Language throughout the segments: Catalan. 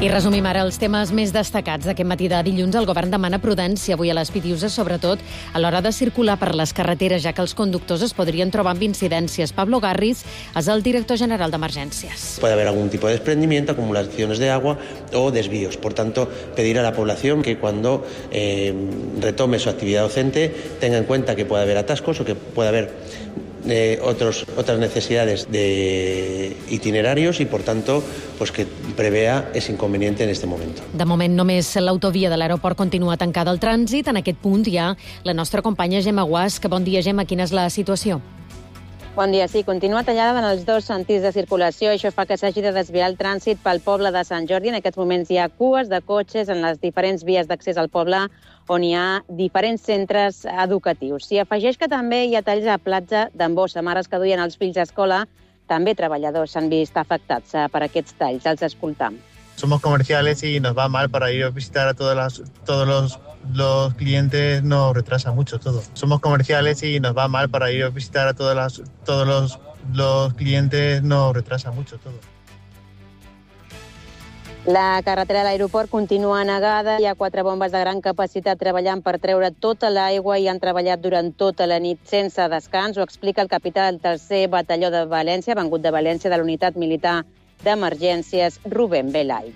I resumim ara els temes més destacats d'aquest matí de dilluns. El govern demana prudència avui a les Pitiuses, sobretot a l'hora de circular per les carreteres, ja que els conductors es podrien trobar amb incidències. Pablo Garriz és el director general d'Emergències. Puede haber algún tipo de desprendimiento, acumulaciones de agua o desvíos. Por tanto, pedir a la población que cuando retome su actividad docente tenga en cuenta que puede haber atascos o que puede haber otras necesidades de itinerarios y, por tanto, pues que prevea ese inconveniente en este momento. De moment, només l'autovia de l'aeroport continua tancada al trànsit. En aquest punt hi ha la nostra companya Gemma Guasc. Bon dia, Gemma. Quina és la situació? Bon dia. Sí, continua tallada en els dos sentits de circulació. Això fa que s'hagi de desviar el trànsit pel poble de Sant Jordi. En aquests moments hi ha cues de cotxes en les diferents vies d'accés al poble, on hi ha diferents centres educatius. S'hi afegeix que també hi ha talls a platja d'Embossa. Mares que duien els fills a escola, també treballadors s'han vist afectats per aquests talls. Els escoltam. Somos comerciales y nos va mal para ir a visitar a todos los clientes, nos retrasa mucho todo. Somos comerciales y nos va mal para ir a visitar a todos los clientes, nos retrasa mucho todo. La carretera de l'aeroport continua anegada. Hi ha 4 bombes de gran capacitat treballant per treure tota l'aigua i han treballat durant tota la nit sense descans. Ho explica el capità del 3è batalló de València, vengut de València, de la unitat militar d'emergències, Rubén Belay.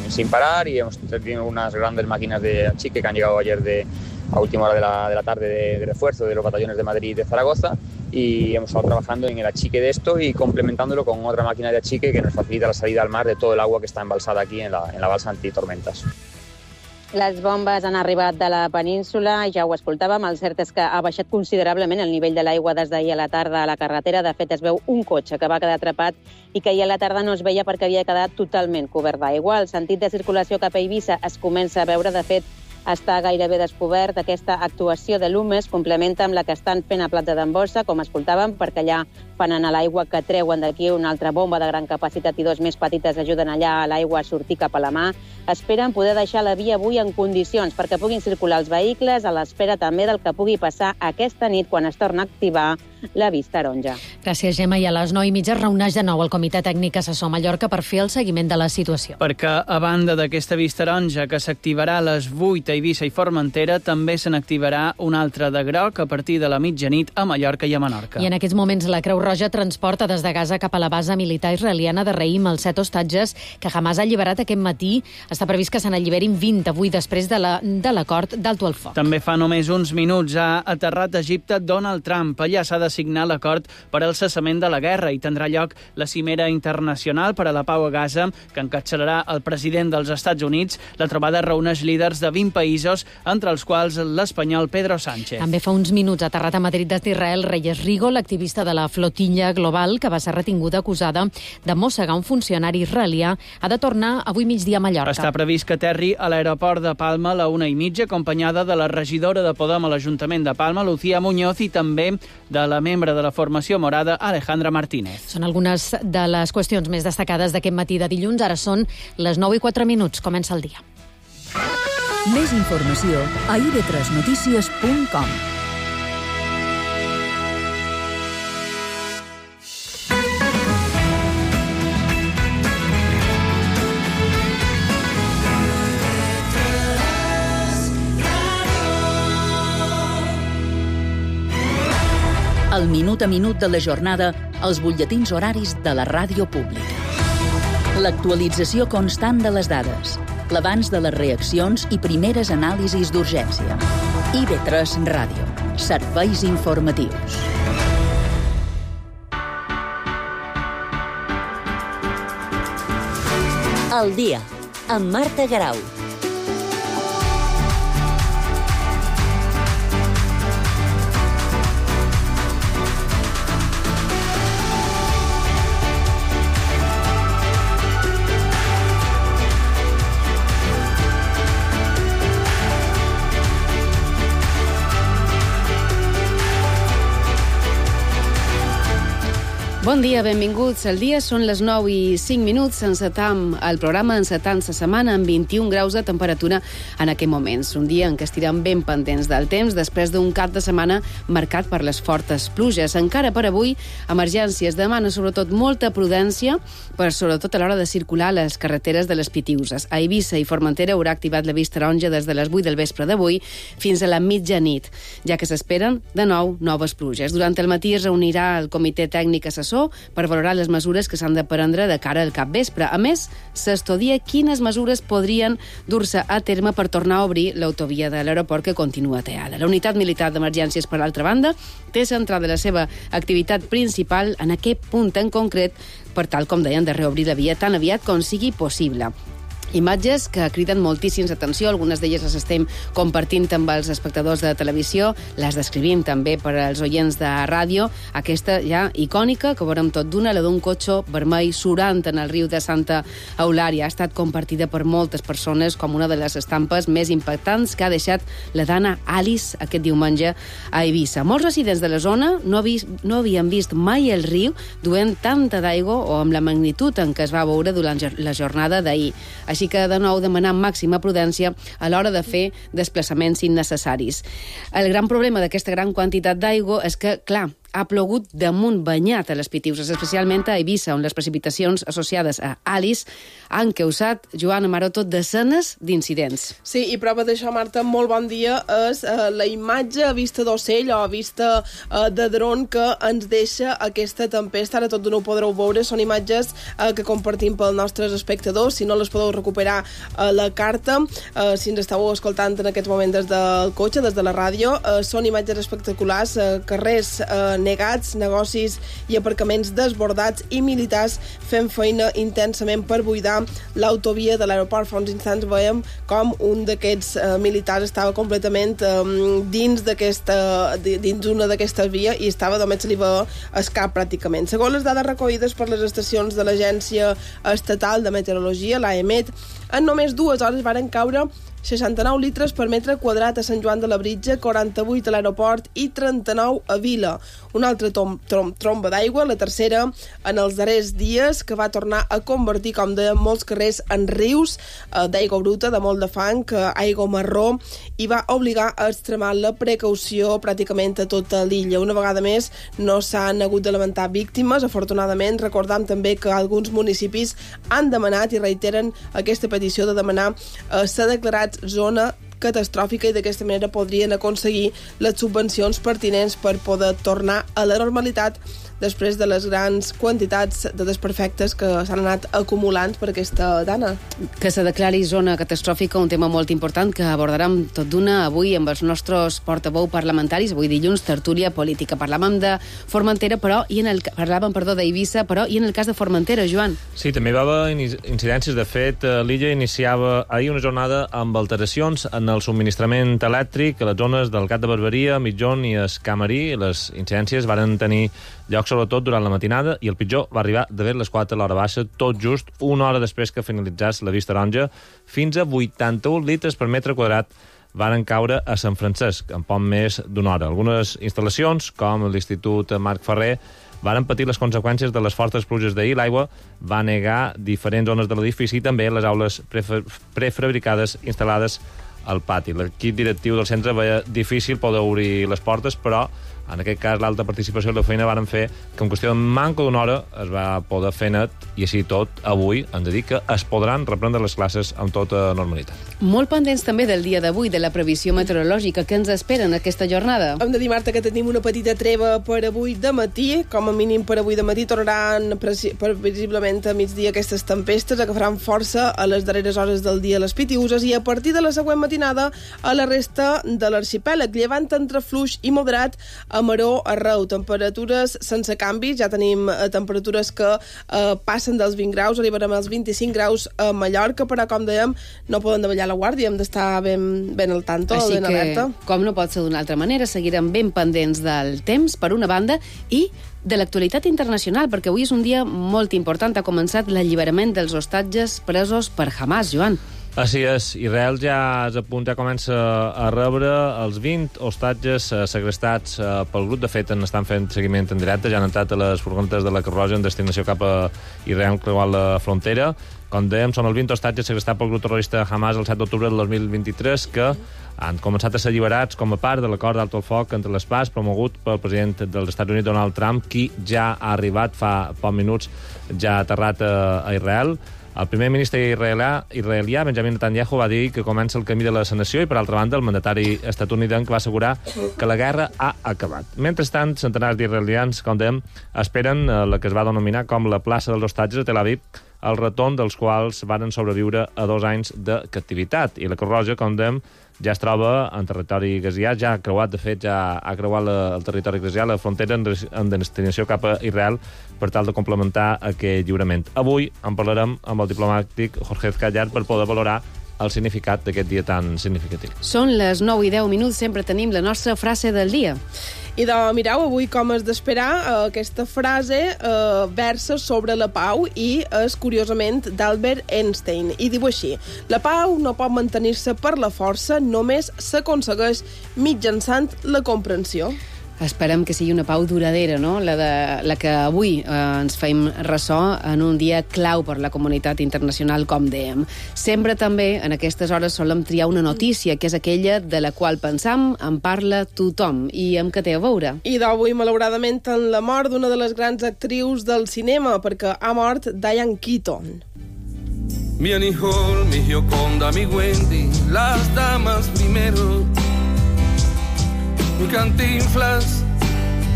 Sin parar, y hemos tenido unas grandes máquinas de achique que han llegado ayer a última hora de la tarde de refuerzo de los batallones de Madrid y de Zaragoza, y hemos estado trabajando en el achique de esto y complementándolo con otra máquina de achique que nos facilita la salida al mar de todo el agua que está embalsada aquí en la balsa antitormentas. Les bombes han arribat de la península, ja ho escoltàvem. El cert és que ha baixat considerablement el nivell de l'aigua des d'ahir a la tarda a la carretera. De fet, es veu un cotxe que va quedar atrapat i que ahir a la tarda no es veia perquè havia quedat totalment cobert d'aigua. El sentit de circulació cap a Eivissa es comença a veure. De fet, està gairebé descobert. Aquesta actuació de l'UMES complementa amb la que estan fent a Platja d'Embossa, com escoltàvem, perquè allà fan anar l'aigua que treuen d'aquí una altra bomba de gran capacitat i 2 més petites ajuden allà a l'aigua a sortir cap a la mà. Esperen poder deixar la via avui en condicions perquè puguin circular els vehicles, a l'espera també del que pugui passar aquesta nit quan es torna a activar la vista taronja. Gràcies, Gemma. I a les 9:30 es reuneix de nou el Comitè Tècnic Assessor Mallorca per fer el seguiment de la situació. Perquè, a banda d'aquesta vista taronja que s'activarà a les 8 a Eivissa i Formentera, també se n'activarà una altra de groc a partir de la mitjanit a Mallorca i a Menorca. I en aquests moments la Creu Roja transporta des de Gaza cap a la base militar israeliana de Reim els 7 hostatges que Hamas ha alliberat aquest matí. Està previst que se n'alliberin 20 avui després de l'acord d'alto al foc. També fa només uns minuts ha aterrat a Egipte Donald Trump. Allà s'ha de signar l'acord per al cessament de la guerra i tindrà lloc la cimera internacional per a la pau a Gaza, que encapçalarà el president dels Estats Units. La trobada reuneix líders de 20 països, entre els quals l'espanyol Pedro Sánchez. També fa uns minuts ha aterrat a Madrid d'Israel Reyes Rigo, l'activista de la flotilla global que va ser retinguda acusada de mossegar un funcionari israelià. Ha de tornar avui migdia a Mallorca. Està previst que aterri a l'aeroport de Palma a la 1:30, acompanyada de la regidora de Podem a l'Ajuntament de Palma, Lucía Muñoz, i també de la membre de la formació morada, Alejandra Martínez. Són algunes de les qüestions més destacades d'aquest matí de dilluns. Ara són les 9:04. Comença el dia. Més informació a ib3notícies.com. El minut a minut de la jornada, els butlletins horaris de la ràdio pública. L'actualització constant de les dades, l'abans de les reaccions i primeres anàlisis d'urgència. IB3 Ràdio. Serveis informatius. El dia, amb Marta Garau. Bon dia, benvinguts. El dia són les 9:05. Encetam el programa, encetant la setmana amb 21 graus de temperatura en aquests moments. Un dia en què estirem ben pendents del temps després d'un cap de setmana marcat per les fortes pluges. Encara per avui, emergències demana sobretot molta prudència, per sobretot a l'hora de circular a les carreteres de les Pitiüses. A Eivissa i Formentera haurà activat l'avís taronja des de les 8 del vespre d'avui fins a la mitjanit, ja que s'esperen de nou noves pluges. Durant el matí es reunirà el comitè tècnic assessor per valorar les mesures que s'han de prendre de cara al capvespre. A més, s'estudia quines mesures podrien dur-se a terme per tornar a obrir l'autovia de l'aeroport que continua tallada. La unitat militar d'emergències, per l'altra banda, té centrada la seva activitat principal en aquest punt en concret per tal, com deien, de reobrir la via tan aviat com sigui possible. Imatges que criden moltíssims atenció, algunes d'elles les estem compartint amb els espectadors de televisió, les descrivim també per als oients de ràdio. Aquesta ja icònica, que veurem tot d'una, la d'un cotxe vermell surant en el riu de Santa Eulària. Ha estat compartida per moltes persones com una de les estampes més impactants que ha deixat la dana Alice aquest diumenge a Eivissa. Molts residents de la zona no havien vist mai el riu duent tanta d'aigua o amb la magnitud en què es va veure durant la jornada d'ahir. Així que, de nou, demanar màxima prudència a l'hora de fer desplaçaments innecessaris. El gran problema d'aquesta gran quantitat d'aigua és que, clar, ha plogut damunt banyat a les Pitiüses, especialment a Eivissa, on les precipitacions associades a Alice han causat, Joana Maroto, desenes d'incidents. Sí, i prova d'això, Marta, molt bon dia, és la imatge a vista d'ocell o a vista de dron que ens deixa aquesta tempesta. Ara tot de nou podreu veure, són imatges que compartim pels nostres espectadors. Si no les podeu recuperar a la carta, si ens estàu escoltant en aquest moment des del cotxe, des de la ràdio, són imatges espectaculars, carrers negats, negocis i aparcaments desbordats i militars fent feina intensament per buidar l'autovia de l'aeroport. Fa uns instants veiem com un d'aquests militars estava completament dins una d'aquestes vies i estava, només se li va el cap pràcticament. Segons les dades recollides per les estacions de l'Agència Estatal de Meteorologia, l'AEMET, en només 2 hores varen caure 69 litres per metre quadrat a Sant Joan de Labritja, 48 a l'aeroport i 39 a Vila. Una altra tromba d'aigua, la tercera en els darrers dies, que va tornar a convertir, com deien, molts carrers en rius d'aigua bruta, de molt de fang, aigua marró, i va obligar a extremar la precaució pràcticament a tota l'illa. Una vegada més no s'han hagut de lamentar víctimes, afortunadament. Recordam també que alguns municipis han demanat i reiteren aquesta petició de demanar s'ha declarat zona catastròfica i d'aquesta manera podrien aconseguir les subvencions pertinents per poder tornar a la normalitat després de les grans quantitats de desperfectes que s'han anat acumulant per aquesta dana. Que se declari zona catastròfica, un tema molt important que abordarem tot d'una avui amb els nostres portaveu parlamentaris. Avui dilluns, tertúlia política. Parlàvem de Formentera, d'Eivissa, però i en el cas de Formentera, Joan? Sí, també va haver incidències. De fet, l'illa iniciava ahir una jornada amb alteracions en el subministrament elèctric a les zones del Gat de Barberia, Mitjón i Escamarí. Les incidències varen tenir lloc sobretot durant la matinada i el pitjor va arribar de les 4 a l'hora baixa, tot just una hora després que finalitzés l'avís taronja. Fins a 81 litres per metre quadrat varen caure a Sant Francesc en poc més d'una hora. Algunes instal·lacions, com l'Institut Marc Ferrer, varen patir les conseqüències de les fortes pluges d'ahir. L'aigua va negar diferents zones de l'edifici i també les aules prefabricades instal·lades al pati. L'equip directiu del centre veia difícil poder obrir les portes, però en aquest cas l'alta participació i la feina varen fer que en qüestió de manca d'una hora es va poder fer net i així tot avui hem de dir que es podran reprendre les classes amb tota normalitat. Molt pendents també del dia d'avui, de la previsió meteorològica. Què ens espera en aquesta jornada? Hem de dir, Marta, que tenim una petita treva per avui de matí. Com a mínim per avui de matí tornaran previsiblement a migdia aquestes tempestes que faran força a les darreres hores del dia a les Pitiüses i a partir de la següent matinada a la resta de l'arxipèlag. Llevant entre fluix i moderat a maró arreu, temperatures sense canvis, ja tenim temperatures que passen dels 20 graus, arribarem als 25 graus a Mallorca, però com dèiem, no poden davallar la guàrdia, hem d'estar ben al tanto, ben alerta. Així que, com no pot ser d'una altra manera, seguirem ben pendents del temps, per una banda, i de l'actualitat internacional, perquè avui és un dia molt important. Ha començat l'alliberament dels hostatges presos per Hamas, Joan. Així és, Israel ja és a punt, ja comença a rebre els 20 hostatges segrestats pel grup. De fet, estan fent seguiment en directe, ja han entrat a les furgonetes de la Creu Roja en destinació cap a Israel, creuant la frontera. Com dèiem, són els 20 hostatges segrestats pel grup terrorista Hamas el 7 d'octubre del 2023 que han començat a ser alliberats com a part de l'acord d'alto el foc entre les parts promogut pel president dels Estats Units, Donald Trump, qui ja ha arribat fa pocs minuts, ja ha aterrat a Israel. El primer ministre israelià, Benjamin Netanyahu, va dir que comença el camí de la sanació i, per altra banda, el mandatari estatunidenc va assegurar que la guerra ha acabat. Mentrestant, centenars d'israelians, com dèiem, esperen la que es va denominar com la plaça dels hostatges a Tel Aviv, el retorn dels quals varen sobreviure a 2 anys de captivitat. I la Creu Roja, com dèiem, ja es troba en territori gazià, ja ha creuat, de fet, ja ha creuat el territori gazià, la frontera en destinació cap a Israel, per tal de complementar aquest lliurament. Avui en parlarem amb el diplomàtic Jorge Callar per poder valorar el significat d'aquest dia tan significatiu. Són les 9:10, sempre tenim la nostra frase del dia. I mireu, avui, com és d'esperar, aquesta frase versa sobre la pau i és, curiosament, d'Albert Einstein. I diu així: la pau no pot mantenir-se per la força, només s'aconsegueix mitjançant la comprensió. Esperem que sigui una pau duradera, no? La que avui ens feim ressò en un dia clau per la comunitat internacional, com dèiem. Sempre també, en aquestes hores, solem triar una notícia, que és aquella de la qual pensam, en parla tothom. I amb què té a veure? I d'avui, malauradament, en la mort d'una de les grans actrius del cinema, perquè ha mort Diane Keaton. Mi Annie Hall, mi Gioconda, mi Wendy, las damas primero. Mi Cantinflas,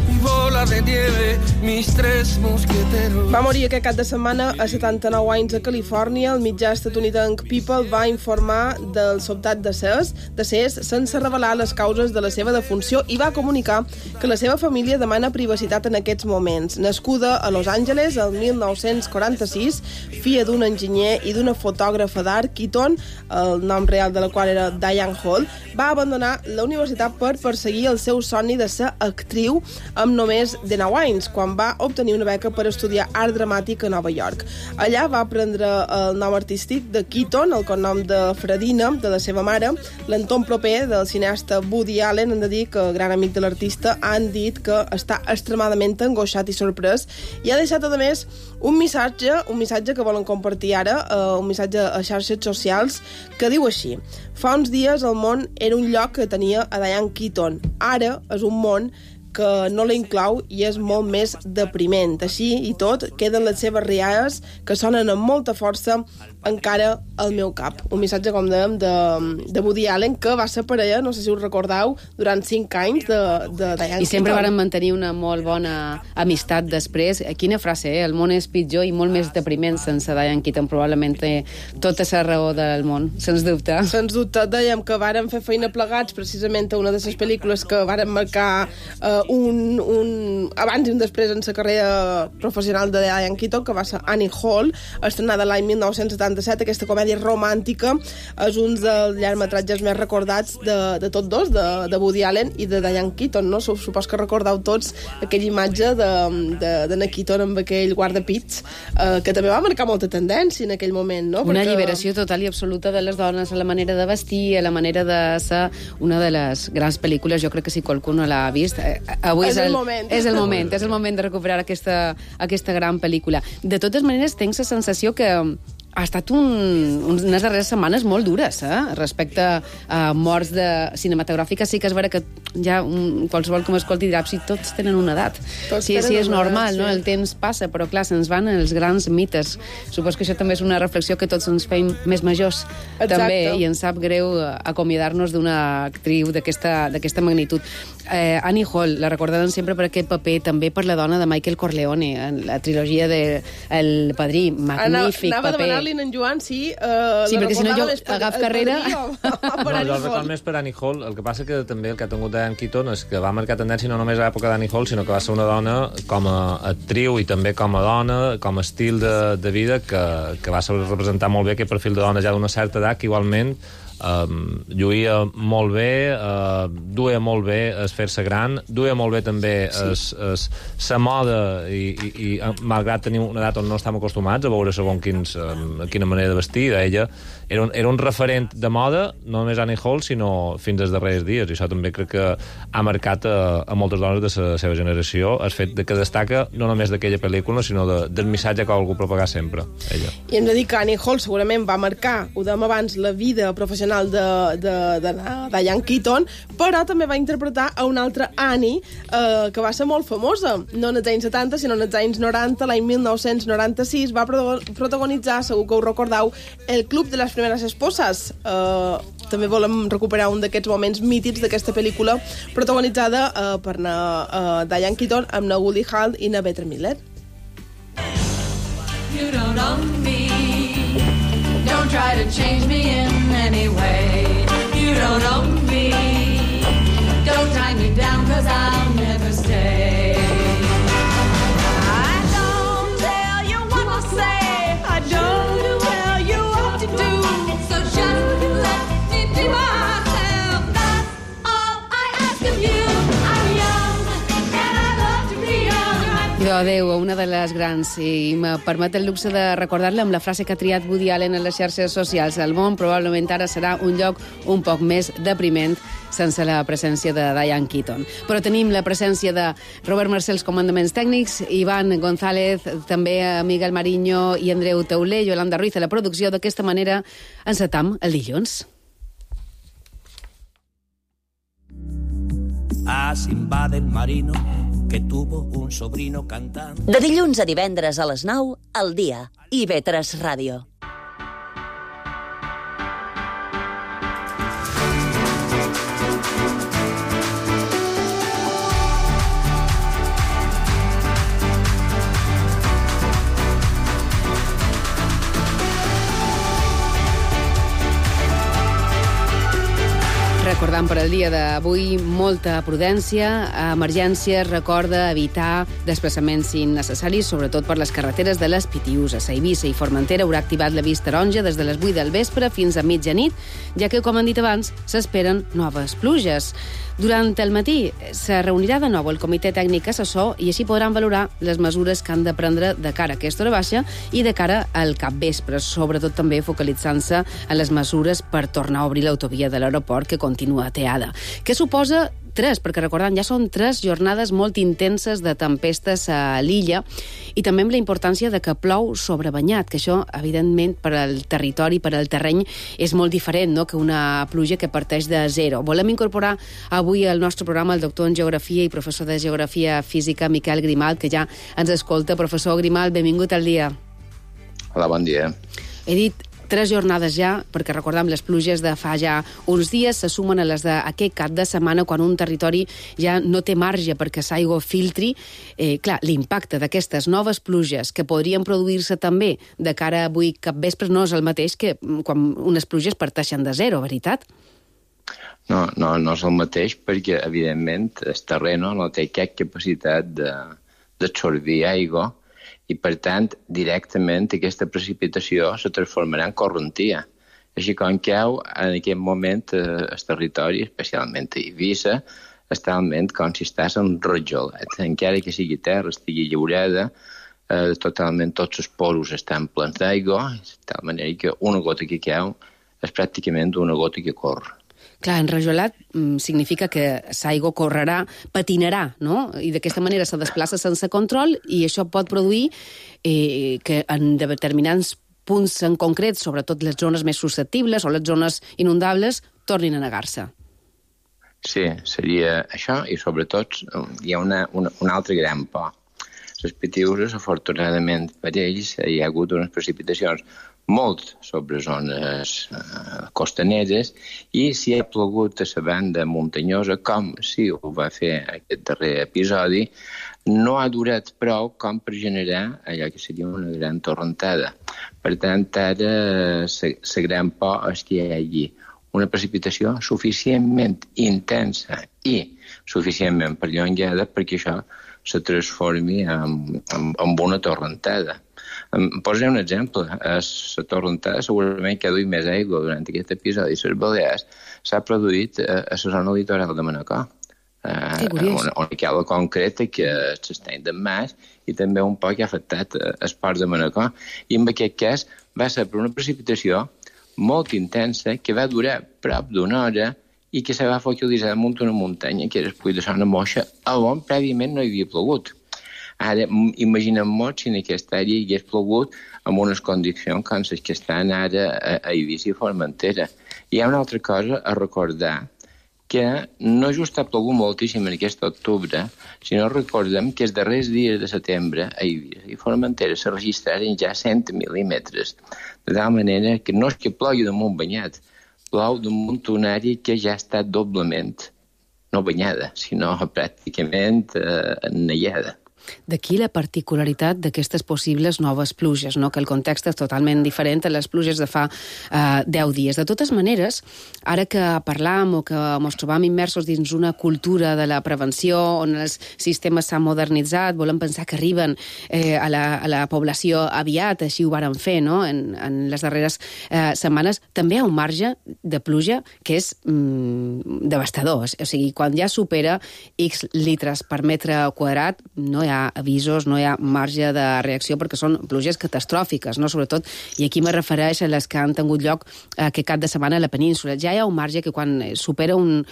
mi bola de nieve, mis 3 mosqueteros. Va morir aquest cap de setmana a 79 anys a Califòrnia. El mitjà estatunidenc People va informar del sobtat decés sense revelar les causes de la seva defunció i va comunicar que la seva família demana privacitat en aquests moments. Nascuda a Los Angeles el 1946, filla d'un enginyer i d'una fotògrafa d'art, Keaton, el nom real de la qual era Diane Hall, va abandonar la universitat per perseguir el seu somni de ser actriu amb només 19 anys, quan va obtenir una beca per estudiar art dramàtic a Nova York. Allà va prendre el nom artístic de Keaton, el cognom de Fredina, de la seva mare. L'entorn proper del cineasta Woody Allen, hem de dir que, gran amic de l'artista, han dit que està extremadament angoixat i sorprès, i ha deixat, a més, un missatge que volen compartir ara, un missatge a xarxes socials, que diu així: fa uns dies el món era un lloc que tenia a Diane Keaton. Ara és un món que no la inclou i és molt més depriment. Així i tot, queden les seves rialles que sonen amb molta força encara al meu cap. Un missatge, com dèiem, de Woody Allen, que va ser parella, no sé si us recordeu, durant 5 anys de Diane Keaton. I sempre varen mantenir una molt bona amistat després. Quina frase, El món és pitjor i molt més depriment sense Diane Keaton. Probablement té tota la raó del món, sens dubte. Sens dubte. Dèiem que varen fer feina plegats precisament a una de les pel·lícules que varen marcar un abans i un després en la carrera professional de Diane Keaton, que va ser Annie Hall, estrenada l'any 1977. Aquesta comèdia romàntica és un dels llargmetratges més recordats de tots dos, de Woody Allen i de Diane Keaton, no? Supos que recordeu tots aquella imatge d'Anna Keaton amb aquell guardapits, que també va marcar molta tendència en aquell moment, no? Una alliberació total i absoluta de les dones, a la manera de vestir, a la manera de ser una de les grans pel·lícules. Jo crec que si qualcú no l'ha vist, avui és el moment de recuperar aquesta gran pel·lícula. De totes maneres, tinc la sensació que ha estat unes darreres setmanes molt dures, respecte a morts cinematogràfiques. Sí que és vera que ja qualsevol que m'escolti dirà, si tots tenen una edat. Sí, és normal, no? El temps passa, però clar, se'ns van els grans mites. Supos que això també és una reflexió que tots ens feim més majors, també, i ens sap greu acomiadar-nos d'una actriu d'aquesta magnitud. Annie Hall, la recordaran sempre per aquest paper, també per la dona de Michael Corleone, en la trilogia de El Padrí, magnífic paper. Anava a demanar-li en Joan si perquè si no jo agaf carrera. Jo record més per Annie Hall. El que passa que també el que ha tingut Diane Keaton és que va marcar tendència no només a l'època d'Annie Hall, sinó que va ser una dona com a actriu i també com a dona, com a estil de vida, que va saber representar molt bé aquest perfil de dona ja d'una certa edat, que igualment lluïa molt bé, duia molt bé es fer-se gran, duia molt bé també la moda i malgrat tenir una edat on no estem acostumats a veure segons quina manera de vestir, ella era un referent de moda, no només Annie Hall, sinó fins als darrers dies, i això també crec que ha marcat a moltes dones de la seva generació el fet que destaca no només d'aquella pel·lícula, sinó del missatge que ha volgut propagar sempre, ella. I hem de dir que Annie Hall segurament va marcar, ho dèiem abans, la vida professional de Diane Keaton, però també va interpretar a una altra Annie que va ser molt famosa, no en els anys 70, sinó en els anys 90, l'any 1996, va protagonitzar, segur que ho recordeu, El Club de les Primeres Esposes. També volem recuperar un d'aquests moments mítics d'aquesta pel·lícula, protagonitzada per Diane Keaton amb na Goldie Hawn i na Bette Midler. You don't own me. Don't try to change me in any way. You don't own me. Don't tie me down, 'cause I'll never stay. I don't tell you what to say. I don't tell you what to do. So just let me be myself. That's all I ask of you. I'm young and I love to be young. Idò adéu, una de les grans, i me permet el luxe de recordar-la amb la frase que ha triat Woody Allen en les xarxes socials. El món probablement ara serà un lloc un poc més depriment sense la presència de Diane Keaton. Però tenim la presència de Robert Marcel als comandaments tècnics, Ivan González, també Miguel Mariño i Andreu Teuler, Yolanda Ruiz a la producció. D'aquesta manera encetam el dilluns. A Simba del Marino, que tuvo un sobrino cantante. De dilluns a divendres a les 9, al dia. IB3 Ràdio. Recordant per al dia d'avui molta prudència, emergències, recorda evitar desplaçaments innecessaris, sobretot per les carreteres de les Pitiüses. A Eivissa i Formentera haurà activat l'avís taronja des de les 8 del vespre fins a mitjanit, ja que, com han dit abans, s'esperen noves pluges. Durant el matí se reunirà de nou el comitè tècnic assessor i així podran valorar les mesures que han de prendre de cara a aquesta hora baixa i de cara al capvespre, sobretot també focalitzant-se en les mesures per tornar a obrir l'autovia de l'aeroport, que continua ateada. Què suposa? Perquè recordant, ja són 3 jornades molt intenses de tempestes a l'illa i també amb la importància de que plou sobrebanyat, que això, evidentment, per al territori, per al terreny, és molt diferent, no?, que una pluja que parteix de zero. Volem incorporar avui al nostre programa el doctor en Geografia i professor de Geografia Física, Miquel Grimalt, que ja ens escolta. Professor Grimalt, benvingut al dia. Hola, bon dia. He dit 3 jornades ja, perquè recordem les pluges de fa ja uns dies se sumen a les d'aquest cap de setmana, quan un territori ja no té marge perquè l'aigua filtri. Clar, l'impacte d'aquestes noves pluges que podrien produir-se també de cara a avui capvespre no és el mateix que quan unes pluges parteixen de zero, veritat? No és el mateix perquè, evidentment, el terreno no té cap capacitat d'absorbir aigua i, per tant, directament aquesta precipitació se transformarà en correntia. Així com que en aquest moment el territori, especialment a Eivissa, està talment com si estàs enrojolat. Encara que sigui terra, estigui lliurada, totalment tots els poros estan plens d'aigua, de tal manera que una gota que cau és pràcticament una gota que corre. Clar, enrajolat significa que l'aigua correrà, patinarà, no? I d'aquesta manera se desplaça sense control i això pot produir que en determinats punts en concret, sobretot les zones més susceptibles o les zones inundables, tornin a negar-se. Sí, seria això i sobretot hi ha un altre gran por. Les Pitiüses, afortunadament per ells, hi ha hagut unes precipitacions molt sobre zones costaneres i si ha plogut a la banda muntanyosa, com si ho va fer aquest darrer episodi, no ha durat prou com per generar allò que seria una gran torrentada. Per tant, ara la gran por és que hi hagi una precipitació suficientment intensa i suficientment perllongada perquè això se transformi en una torrentada. Posaré un exemple. A la Torrentada segurament que ha duit més aigua durant aquest episodi. A les Balears s'ha produït a la zona litoral de Manacor. On hi ha la concreta que s'estany d'en Mas i també un poc ha afectat els ports de Manacor. I en aquest cas va ser per una precipitació molt intensa que va durar prop d'una hora i que se va focalitzar damunt una muntanya que era el Puig de Sona Moixa, on prèviament no hi havia plogut. Ara, imaginem-nos si en aquesta àrea hi hagués plogut amb unes condicions com les que estan ara a Eivissa i Formentera. Hi ha una altra cosa a recordar, que no just ha plogut moltíssim en aquest octubre, sinó recordem que els darrers dies de setembre a Eivissa i Formentera se registraren ja 100 mil·límetres, de tal manera que no és que plogui damunt banyat, plou damunt una àrea que ja està doblement, no banyada, sinó pràcticament enneiada. D'aquí la particularitat d'aquestes possibles noves pluges, no? Que el context és totalment diferent a les pluges de fa 10 dies. De totes maneres, ara que parlam o que ens trobam immersos dins una cultura de la prevenció on els sistemes s'han modernitzat, volem pensar que arriben a la població aviat, així ho varen fer, no? En les darreres setmanes, també hi ha un marge de pluja que és devastador. O sigui, quan ja supera X litres per metre quadrat, no hi ha avisos, no hi ha marge de reacció perquè són pluges catastròfiques, no? Sobretot, i aquí me refereix a les que han tingut lloc aquest cap de setmana a la península. Ja hi ha un marge que quan supera un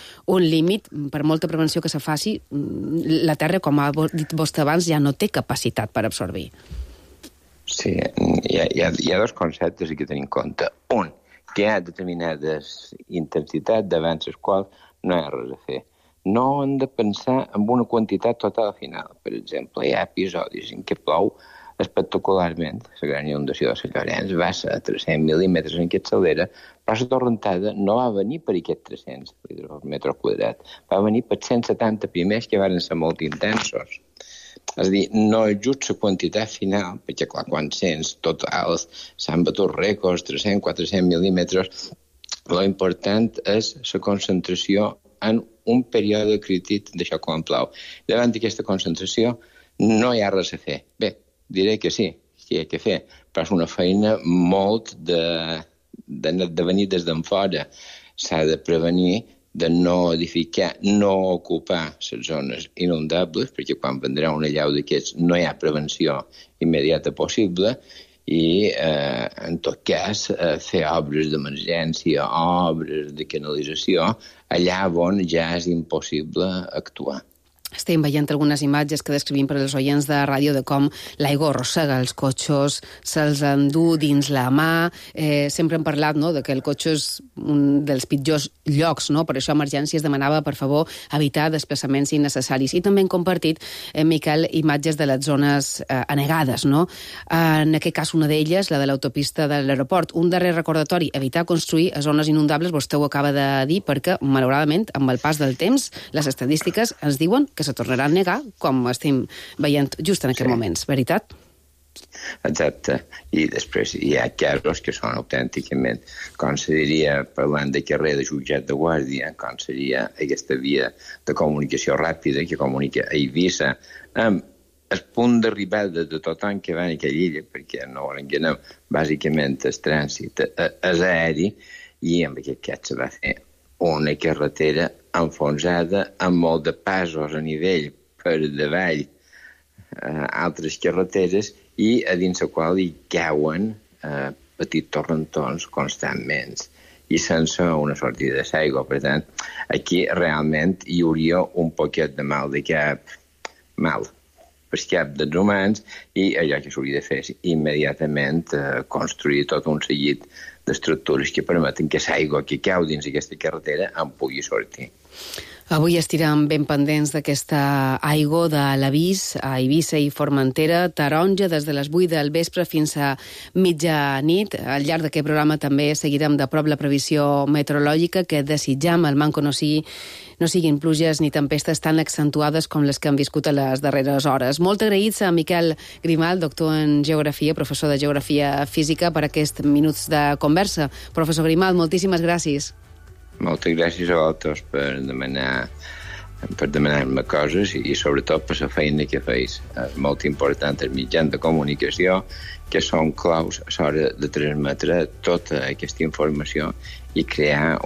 límit, per molta prevenció que se faci, la Terra, com ha dit vostè abans, ja no té capacitat per absorbir. Sí, hi ha dos conceptes que tenim en compte. Un, que hi ha determinades intensitats davant les quals no hi ha res a fer. No hem de pensar en una quantitat total final. Per exemple, hi ha episodis en què plou espectacularment. La gran inundació de Sant Llorenç va ser a 300 mil·límetres en Capçalera, però la torrentada no va venir per aquests 300 litres per metre quadrat. Va venir per 170 primers que van ser molt intensos. És a dir, no és just la quantitat final, perquè clar, quan sents totals s'han batut rècords, 300-400 mil·límetres, l'important és la concentració en un període crític d'això quan plou. Davant d'aquesta concentració no hi ha res a fer. Bé, diré que sí, que hi ha que fer, però és una feina molt de venir des d'en fora. S'ha de prevenir de no edificar, no ocupar les zones inundables, perquè quan vendrà una allau d'aquests no hi ha prevenció immediata possible, i, en tot cas, fer obres d'emergència, obres de canalització, allà on ja és impossible actuar. Estem veient algunes imatges que descrivim per als oients de ràdio de com l'aigua arrossega els cotxes, se'ls endú dins la mà. Sempre hem parlat, no?, de que el cotxe és un dels pitjors llocs, no? Per això Emergències demanava, per favor, evitar desplaçaments innecessaris. I també hem compartit, Miquel, imatges de les zones anegades, no? En aquest cas, una d'elles, la de l'autopista de l'aeroport. Un darrer recordatori, evitar construir a zones inundables, vostè ho acaba de dir, perquè, malauradament, amb el pas del temps, les estadístiques ens diuen que se tornarà a negar, com estem veient just en aquests moments, veritat? Exacte. I després hi ha casos que són autènticament, com se diria, parlant de carrer de jutjat de guàrdia, com seria aquesta via de comunicació ràpida que comunica a Eivissa, amb el punt d'arribada de tothom que va a aquella illa, perquè no ho enganem, bàsicament el trànsit és aeri, i amb aquest cas se va fer una carretera enfonsada amb molt de passos a nivell per davall altres carreteres i a dins la qual hi cauen petits torrentons constantment i sense una sortida d'aigua. Per tant, aquí realment hi hauria un poquet de mal de cap, per cap dels humans, i allò que s'hauria de fer és immediatament construir tot un seguit d'estructures que permeten que l'aigua que cau dins aquesta carretera en pugui sortir. Avui estirem ben pendents d'aquesta aigua de l'avís a Eivissa i Formentera, taronja des de les 8 del vespre fins a mitjanit. Al llarg d'aquest programa també seguirem de prop la previsió meteorològica que desitjam al manco no siguin pluges ni tempestes tan accentuades com les que han viscut a les darreres hores. Molt agraïts a Miquel Grimalt, doctor en Geografia, professor de Geografia Física, per aquests minuts de conversa. Professor Grimalt, moltíssimes gràcies. Moltes gràcies a vosaltres per demanar per demanar-me coses i sobretot per la feina que feis. És molt important el mitjans de comunicació, que són claus a l'hora de transmetre tota aquesta informació i crear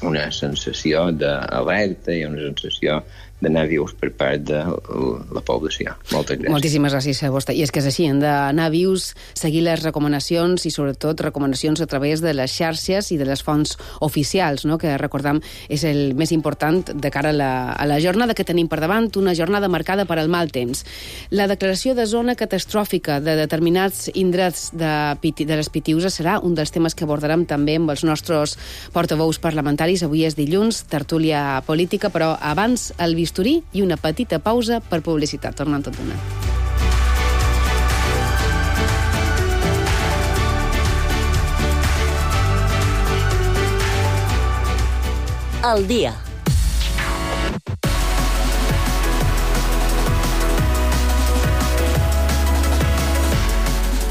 una sensació d'alerta i una sensació d'anar vius per part de la població. Moltes gràcies. Moltíssimes gràcies a vostè. I és que és així, hem d'anar vius, seguir les recomanacions i sobretot recomanacions a través de les xarxes i de les fonts oficials, no? Que recordam és el més important de cara a la jornada que tenim per davant, una jornada marcada per al mal temps. La declaració de zona catastròfica de determinats indrets de les Pitiüses serà un dels temes que abordarem també amb els nostres portaveus parlamentaris. Avui és dilluns, tertúlia política, però abans el bisturí i una petita pausa per publicitat. Tornem tot d'una. Al dia.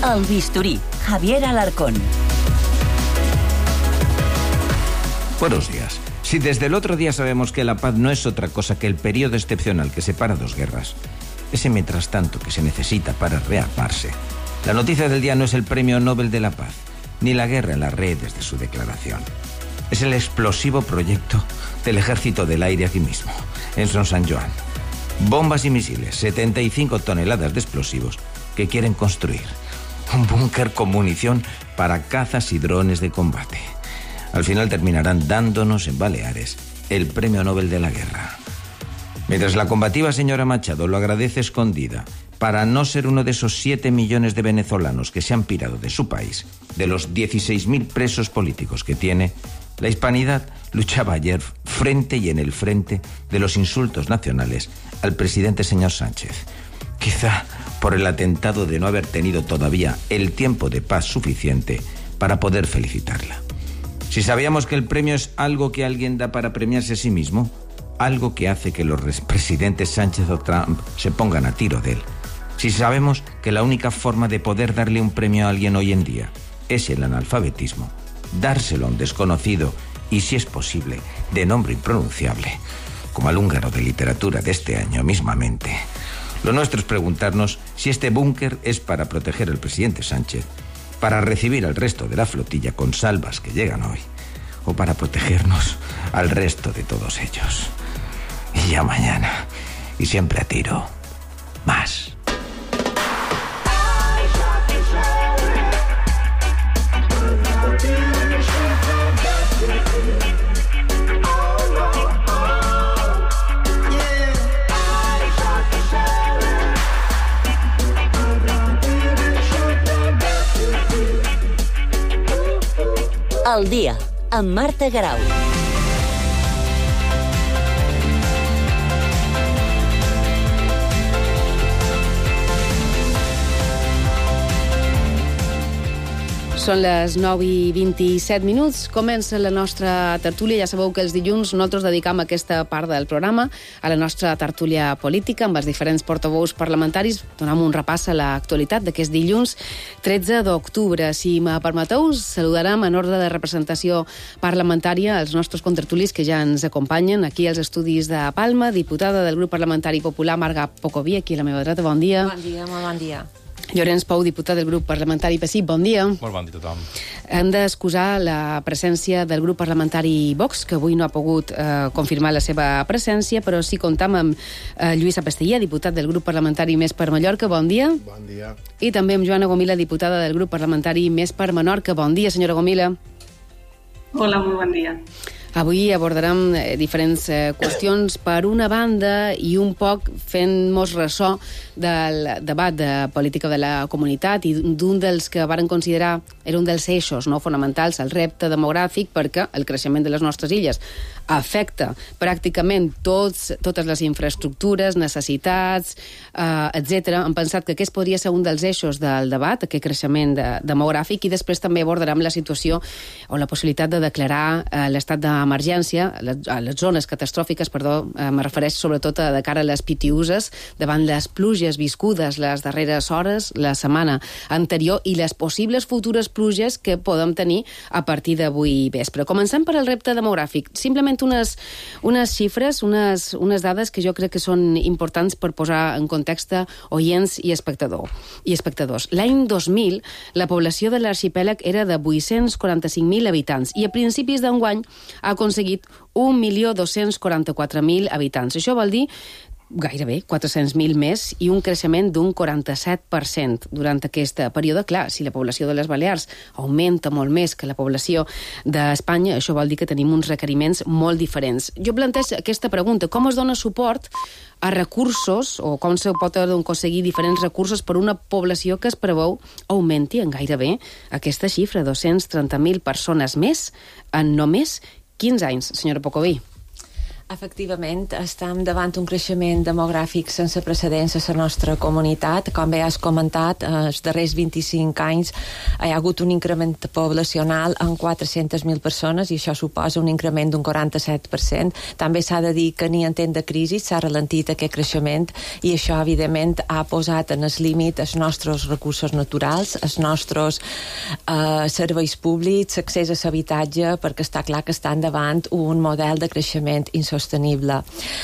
El bisturí. Javier Alarcón. Buenos días. Si desde el otro día sabemos que la paz no es otra cosa que el periodo excepcional que separa dos guerras, ese mientras tanto que se necesita para rearmarse, la noticia del día no es el Premio Nobel de la Paz, ni la guerra en las redes de su declaración. Es el explosivo proyecto del Ejército del Aire aquí mismo, en Son San Joan. Bombas y misiles, 75 toneladas de explosivos que quieren construir. Un búnker con munición para cazas y drones de combate. Al final terminarán dándonos en Baleares el Premio Nobel de la Guerra. Mientras la combativa señora Machado lo agradece escondida para no ser uno de esos 7 millones de venezolanos que se han pirado de su país, de los 16.000 presos políticos que tiene, la hispanidad luchaba ayer frente y en el frente de los insultos nacionales al presidente señor Sánchez. Quizá por el atentado de no haber tenido todavía el tiempo de paz suficiente para poder felicitarla. Si sabíamos que el premio es algo que alguien da para premiarse a sí mismo, algo que hace que los presidentes Sánchez o Trump se pongan a tiro de él. Si sabemos que la única forma de poder darle un premio a alguien hoy en día es el analfabetismo, dárselo a un desconocido y, si es posible, de nombre impronunciable, como al húngaro de literatura de este año mismamente. Lo nuestro es preguntarnos si este búnker es para proteger al presidente Sánchez, para recibir al resto de la flotilla con salvas que llegan hoy, o para protegernos al resto de todos ellos. Y ya mañana, y siempre a tiro, más. Al dia, amb Marta Garau. Són les 9:27. Comença la nostra tertúlia. Ja sabeu que els dilluns nosaltres dedicam aquesta part del programa a la nostra tertúlia política amb els diferents portaveus parlamentaris. Donem un repàs a l'actualitat d'aquest dilluns 13 d'octubre. Si me permeteu, saludarem en ordre de representació parlamentària els nostres contertulis que ja ens acompanyen aquí als estudis de Palma. Diputada del grup parlamentari popular, Marga Pocoví, aquí a la meva dreta. Bon dia. Bon dia, molt bon dia. Llorenç Pou, diputat del grup parlamentari PSIC, bon dia. Molt bon dia a tothom. Hem d'excusar la presència del grup parlamentari Vox, que avui no ha pogut confirmar la seva presència, però sí comptam amb Lluís Apestellà, diputat del grup parlamentari Més per Mallorca, bon dia. Bon dia. I també amb Joana Gomila, diputada del grup parlamentari Més per Menorca, bon dia, senyora Gomila. Hola, molt bon dia. Avui abordarem diferents qüestions. Per una banda, i un poc fent-nos ressò del debat de política de la comunitat i d'un dels que varen considerar era un dels eixos fonamentals, el repte demogràfic, perquè el creixement de les nostres illes afecta pràcticament totes les infraestructures, necessitats, etc. Hem pensat que aquest podria ser un dels eixos del debat, aquest creixement demogràfic, i després també abordarem la situació o la possibilitat de declarar l'estat d'emergència, a les zones catastròfiques, me refereix sobretot de cara a les Pitiüses, davant les pluges viscudes les darreres hores, la setmana anterior, i les possibles futures pluges que podem tenir a partir d'avui vespre. Comencem per el repte demogràfic. Simplement donat unes xifres, unes dades que jo crec que són importants per posar en context oients i espectadors. L'any 2000, la població de l'arxipèlag era de 845.000 habitants i a principis d'enguany ha aconseguit 1.244.000 habitants. Això vol dir gairebé 400.000 més i un creixement d'un 47% durant aquest període. Clar, si la població de les Balears augmenta molt més que la població d'Espanya, això vol dir que tenim uns requeriments molt diferents. Jo plantejo aquesta pregunta: com es dona suport a recursos, o com se pot aconseguir diferents recursos per una població que es preveu augmenti en gairebé aquesta xifra, 230.000 persones més en només 15 anys, senyora Pocoví? Efectivament, estem davant un creixement demogràfic sense precedents a la nostra comunitat. Com bé has comentat, els darrers 25 anys hi ha hagut un increment poblacional en 400.000 persones i això suposa un increment d'un 47%. També s'ha de dir que ni en temps de crisi s'ha ralentit aquest creixement i això, evidentment, ha posat en el límit els nostres recursos naturals, els nostres serveis públics, l'accés a l'habitatge, perquè està clar que estan davant un model de creixement insostenible.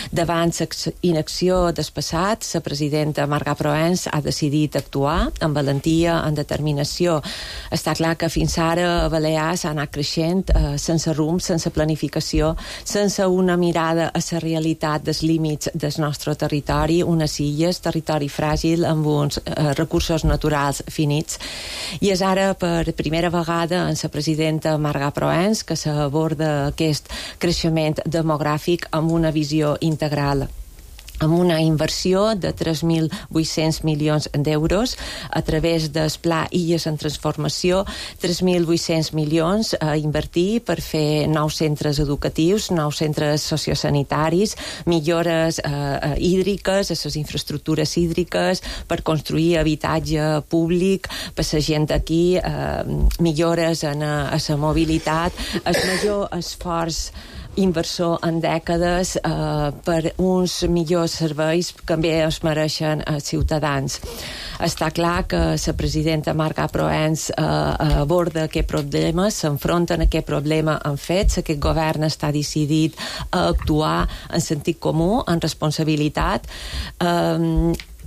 Davant la inacció del passat, la presidenta Marga Proens ha decidit actuar amb valentia, amb determinació. Està clar que fins ara a Balears ha anat creixent sense rumb, sense planificació, sense una mirada a la realitat dels límits del nostre territori, unes illes, territori fràgil amb uns recursos naturals finits. I és ara per primera vegada en la presidenta Marga Proens que s'aborda aquest creixement demogràfic amb una visió integral, amb una inversió de 3.800 milions d'euros a través del Pla Illes en Transformació, 3.800 milions a invertir per fer nous centres educatius, nous centres sociosanitaris, millores hídriques, a les infraestructures hídriques, per construir habitatge públic per la gent d'aquí, millores a la mobilitat, el major esforç inversor en dècades per uns millors serveis que també es mereixen els ciutadans. Està clar que la presidenta Marga Proens aborda aquest problema, s'enfronta a aquest problema en fets, aquest govern està decidit a actuar en sentit comú, en responsabilitat,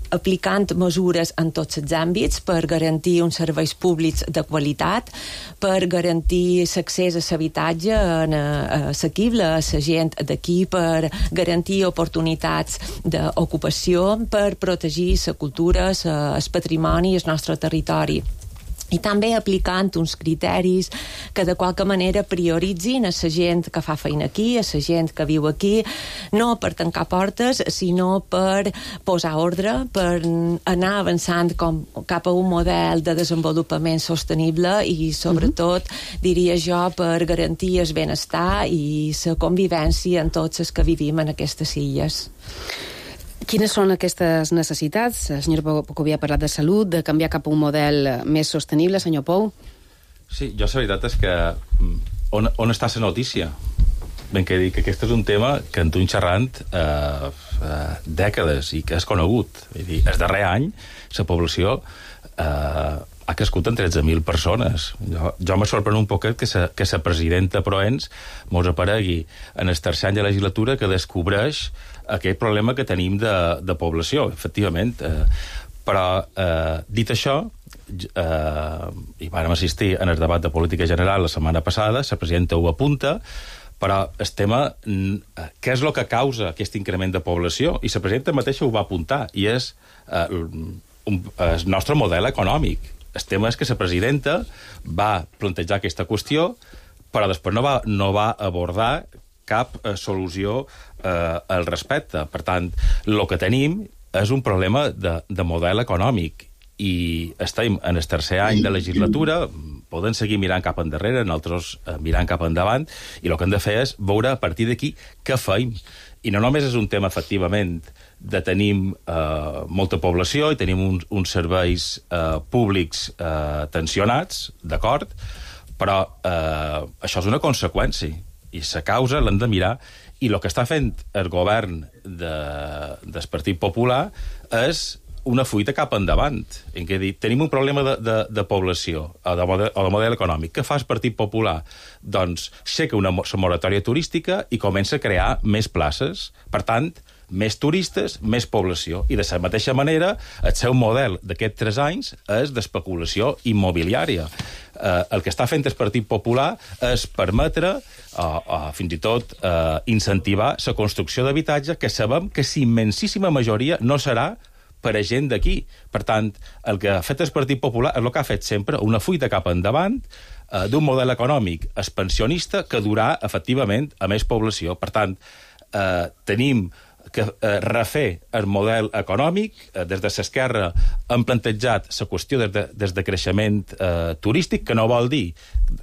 aplicant mesures en tots els àmbits per garantir uns serveis públics de qualitat, per garantir l'accés a l'habitatge assequible a la gent d'aquí, per garantir oportunitats d'ocupació, per protegir la cultura, el patrimoni i el nostre territori. I també aplicant uns criteris que de qualque manera prioritzin a la gent que fa feina aquí, a la gent que viu aquí, no per tancar portes, sinó per posar ordre, per anar avançant cap a un model de desenvolupament sostenible i, sobretot, diria jo, per garantir el benestar i la convivència en tots els que vivim en aquestes illes. Quines són aquestes necessitats? El senyor Pocoví ha parlat de salut, de canviar cap a un model més sostenible. Senyor Pou? Sí, jo la veritat és que on està la notícia? Ben que dic que aquest és un tema que en tu xerrant dècades i que és conegut. Vull dir, el darrer any la població ha crescut en 13.000 persones. Jo me sorprèn un poquet que la presidenta Proens mos aparegui en el tercer any de legislatura que descobreix aquest problema que tenim de població, efectivament. Però, dit això, i vam assistir en el debat de política general la setmana passada, la presidenta ho apunta, però el tema, què és el que causa aquest increment de població? I la presidenta mateixa ho va apuntar, i és el nostre model econòmic. El tema és que la presidenta va plantejar aquesta qüestió, però després no va abordar cap solució al respecte. Per tant, el que tenim és un problema de model econòmic i estem en el tercer any de legislatura, poden seguir mirant cap endarrere, nosaltres mirant cap endavant, i el que hem de fer és veure a partir d'aquí què feim. I no només és un tema, efectivament, de tenir molta població i tenim uns serveis públics tensionats, d'acord, però això és una conseqüència i la causa l'hem de mirar, i el que està fent el govern del Partit Popular és una fuita cap endavant. En què dir, tenim un problema de població o de model econòmic. Què fa el Partit Popular? Doncs aixeca una moratòria turística i comença a crear més places. Per tant, més turistes, més població. I de la mateixa manera, el seu model d'aquests 3 anys és d'especulació immobiliària. El que està fent el Partit Popular és permetre, fins i tot, incentivar la construcció d'habitatge que sabem que la immensíssima majoria no serà per a gent d'aquí. Per tant, el que ha fet el Partit Popular és el que ha fet sempre, una fuita cap endavant d'un model econòmic expansionista que durà, efectivament, a més població. Per tant, tenim que refer el model econòmic. Des de l'esquerra hem plantejat la qüestió des de creixement turístic, que no vol dir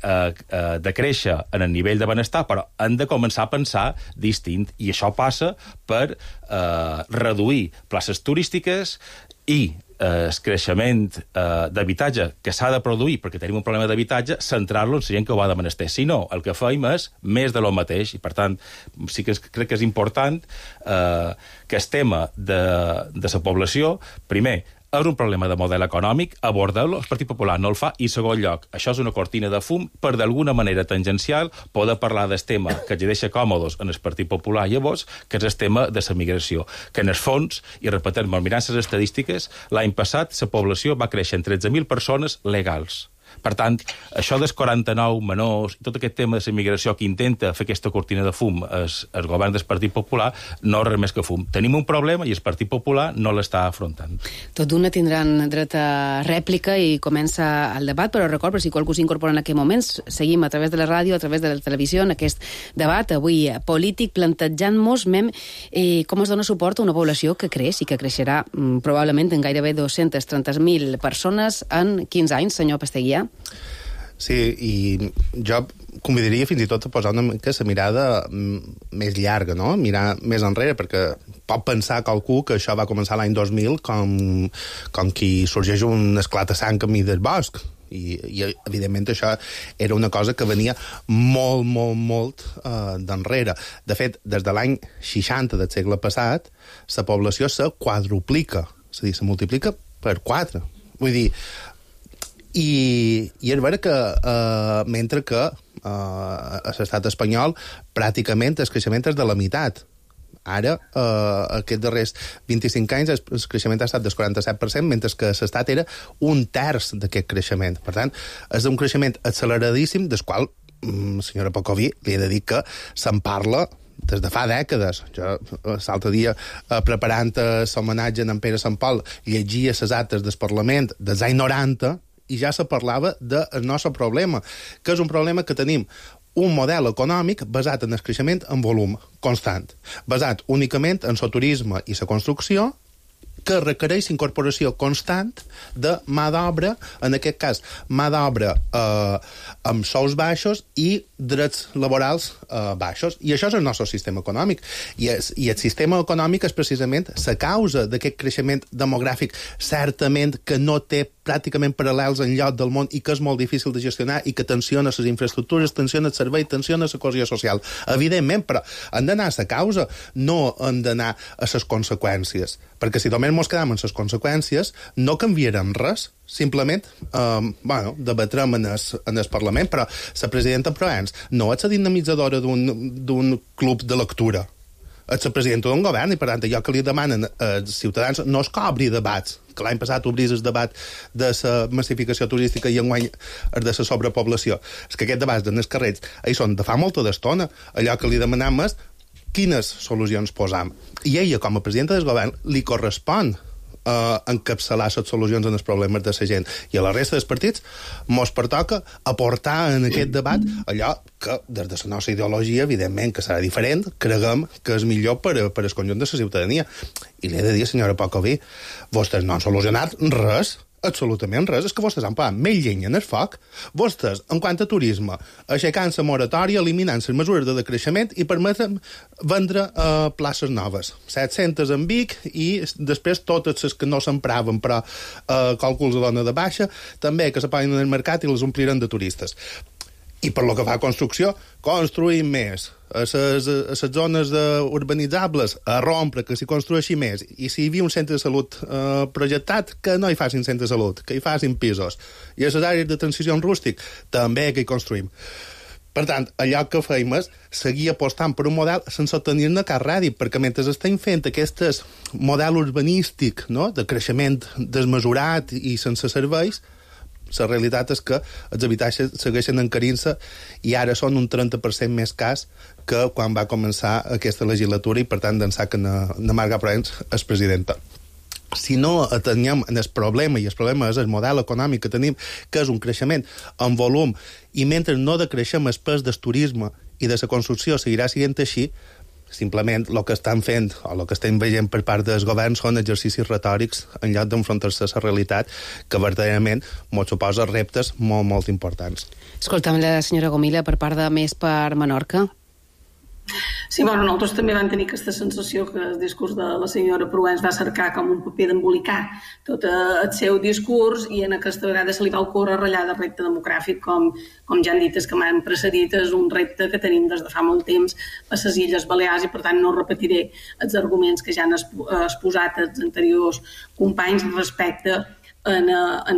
de créixer en el nivell de benestar, però hem de començar a pensar distint, i això passa per reduir places turístiques i el creixement d'habitatge que s'ha de produir perquè tenim un problema d'habitatge, centrar-lo en la gent que ho ha de menester. Si no, el que feim és més de lo mateix, i per tant sí que crec que és important que el tema de la població, primer, és un problema de model econòmic, abordar-lo, el Partit Popular no el fa, i en segon lloc, això és una cortina de fum per d'alguna manera tangencial poder parlar del tema que ens deixa còmodes en el Partit Popular llavors, que és el tema de la migració, que en el fons, i repetim, mirant les estadístiques, l'any passat la població va créixer en 13.000 persones legals. Per tant, això dels 49 menors, tot aquest tema de la immigració que intenta fer aquesta cortina de fum el govern del Partit Popular, no és res més que fum. Tenim un problema i el Partit Popular no l'està afrontant. Tot d'una tindran dret a rèplica i comença el debat, però record, per si qualcú s'incorpora en aquest moment, seguim a través de la ràdio, a través de la televisió, en aquest debat avui polític, plantejant-nos com es dona suport a una població que creix i que creixerà probablement en gairebé 230.000 persones en 15 anys, senyor Pasteguià. Sí, i jo convidaria fins i tot a posar una mica la mirada més llarga, no? Mirar més enrere, perquè pot pensar qualcú que això va començar l'any 2000 com qui sorgeix un esclat a sang camí del bosc. I evidentment això era una cosa que venia molt d'enrere. De fet, des de l'any 60 del segle passat, la població se quadruplica, és a dir, se multiplica per 4. Vull dir, i és vera que mentre que a l'estat espanyol pràcticament el creixement és de la meitat. Ara, aquests darrers 25 anys, el creixement ha estat del 47%, mentre que a l'estat era un terç d'aquest creixement. Per tant, és un creixement acceleradíssim, del qual, senyora Pocoví, li he de dir que se'n parla des de fa dècades. Jo l'altre dia, preparant l'homenatge a en Pere Sant Pol, llegia les actes del Parlament dels anys 90 i ja se parlava del nostre problema, que és un problema que tenim un model econòmic basat en el creixement en volum constant, basat únicament en el turisme i la construcció, que requereix incorporació constant de mà d'obra, en aquest cas, mà d'obra amb sous baixos i drets laborals baixos. I això és el nostre sistema econòmic. I el sistema econòmic és precisament la causa d'aquest creixement demogràfic, certament que no té pràcticament paral·lels enlloc del món i que és molt difícil de gestionar i que tensiona les infraestructures, tensiona el servei, tensiona la cohesió social. Evidentment, però hem d'anar a la causa, no hem d'anar a les conseqüències. Perquè si només ens quedem en les conseqüències, no canviarem res. Simplement, debatrem en el Parlament, però la presidenta Proens no és la dinamitzadora d'un club de lectura. És la presidenta d'un govern i, per tant, allò que li demanen als ciutadans no és que obri debats, que l'any passat obrís el debat de la massificació turística i enguany el de la sobrepoblació. És que aquests debats en els carrers són de fa molta d'estona. Allò que li demanem és quines solucions posam. I ella, com a presidenta del govern, li correspon encapçalar les solucions en els problemes de la gent. I a la resta dels partits mos pertoca aportar en aquest debat allò que, des de la nostra ideologia, evidentment que serà diferent, creguem que és millor per al conjunt de la ciutadania. I li he de dir, senyora Pocoví, vostès no han solucionat res, absolutament res. És que vostès han posat més llenya en el foc. Vostès, en quant a turisme, aixecant la moratòria, eliminant les mesures de decreixement i permeten vendre places noves. 700 en Vic i després totes les que no s'empraven, però càlculs de dona de baixa, també que se poden en el mercat i les ompliran de turistes. I per lo que fa a construcció, construïm més. A les zones urbanitzables, a rompre, que s'hi construeixi més. I si hi havia un centre de salut projectat, que no hi facin centre de salut, que hi facin pisos. I a les àrees de transició rústic, també que hi construïm. Per tant, allò que fèiem és seguir apostant per un model sense tenir-ne cap rèdit, perquè mentre estem fent aquest model urbanístic, no?, de creixement desmesurat i sense serveis, la realitat és que els habitatges segueixen encarint-se i ara són un 30% més cas que quan va començar aquesta legislatura i, per tant, d'ençà que Marga Proens és presidenta. Si no atenem el problema, i el problema és el model econòmic que tenim, que és un creixement en volum, i mentre no decreixem el pes del turisme i de la construcció seguirà sent així, simplement el que estan fent o el que estem veient per part dels governs són exercicis retòrics en lloc d'enfrontar-se a la realitat que verdaderament ens suposa reptes molt, molt importants. Escolta'm la senyora Gomila per part de Més per Menorca. Sí, bueno, nosaltres també vam tenir aquesta sensació que el discurs de la senyora Proens va cercar com un paper d'embolicar tot el seu discurs i en aquesta vegada se li va ocórrer ratllar de repte demogràfic, com ja han dit els que m'han precedit, és un repte que tenim des de fa molt temps a les Illes Balears i per tant no repetiré els arguments que ja han exposat els anteriors companys respecte en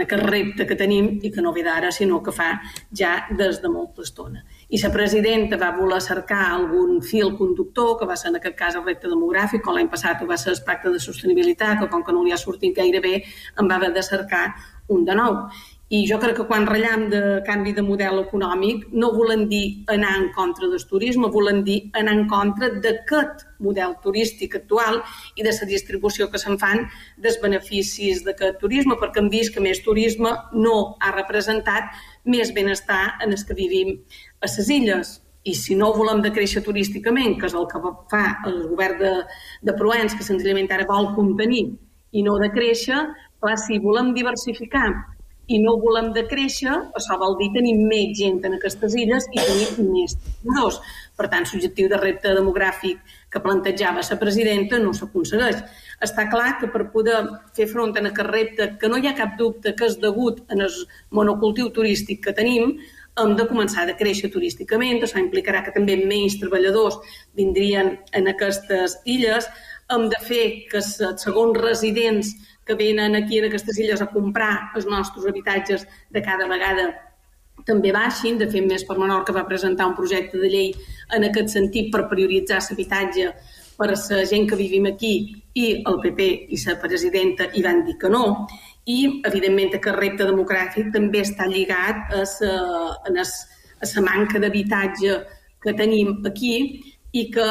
aquest repte que tenim i que no ve d'ara sinó que fa ja des de molta estona. I la presidenta va voler cercar algun fil conductor, que va ser en aquest cas el repte demogràfic, com l'any passat va ser el pacte de sostenibilitat, que com que no li ha sortit gaire bé, en va haver de cercar un de nou. I jo crec que quan ratllam de canvi de model econòmic no volen dir anar en contra del turisme, volen dir anar en contra d'aquest model turístic actual i de la distribució que se'n fan dels beneficis d'aquest turisme, perquè hem vist que més turisme no ha representat més benestar en els que vivim a les illes. I si no volem decréixer turísticament, que és el que fa el govern de Proens, que senzillament ara vol contenir i no decréixer, clar, si volem diversificar i no volem decréixer, això vol dir tenir més gent en aquestes illes i tenir més treballadors. Per tant, l'objectiu de repte demogràfic que plantejava la presidenta no s'aconsegueix. Està clar que per poder fer front a aquest repte, que no hi ha cap dubte que és degut en el monocultiu turístic que tenim, hem de començar a créixer turísticament, això implicarà que també menys treballadors vindrien en aquestes illes, hem de fer que els segons residents que venen aquí en aquestes illes a comprar els nostres habitatges de cada vegada també baixin. De fet, Més per Menorca va presentar un projecte de llei en aquest sentit per prioritzar l'habitatge per a la gent que vivim aquí i el PP i la presidenta hi van dir que no. I, evidentment, aquest repte demogràfic també està lligat a la manca d'habitatge que tenim aquí i que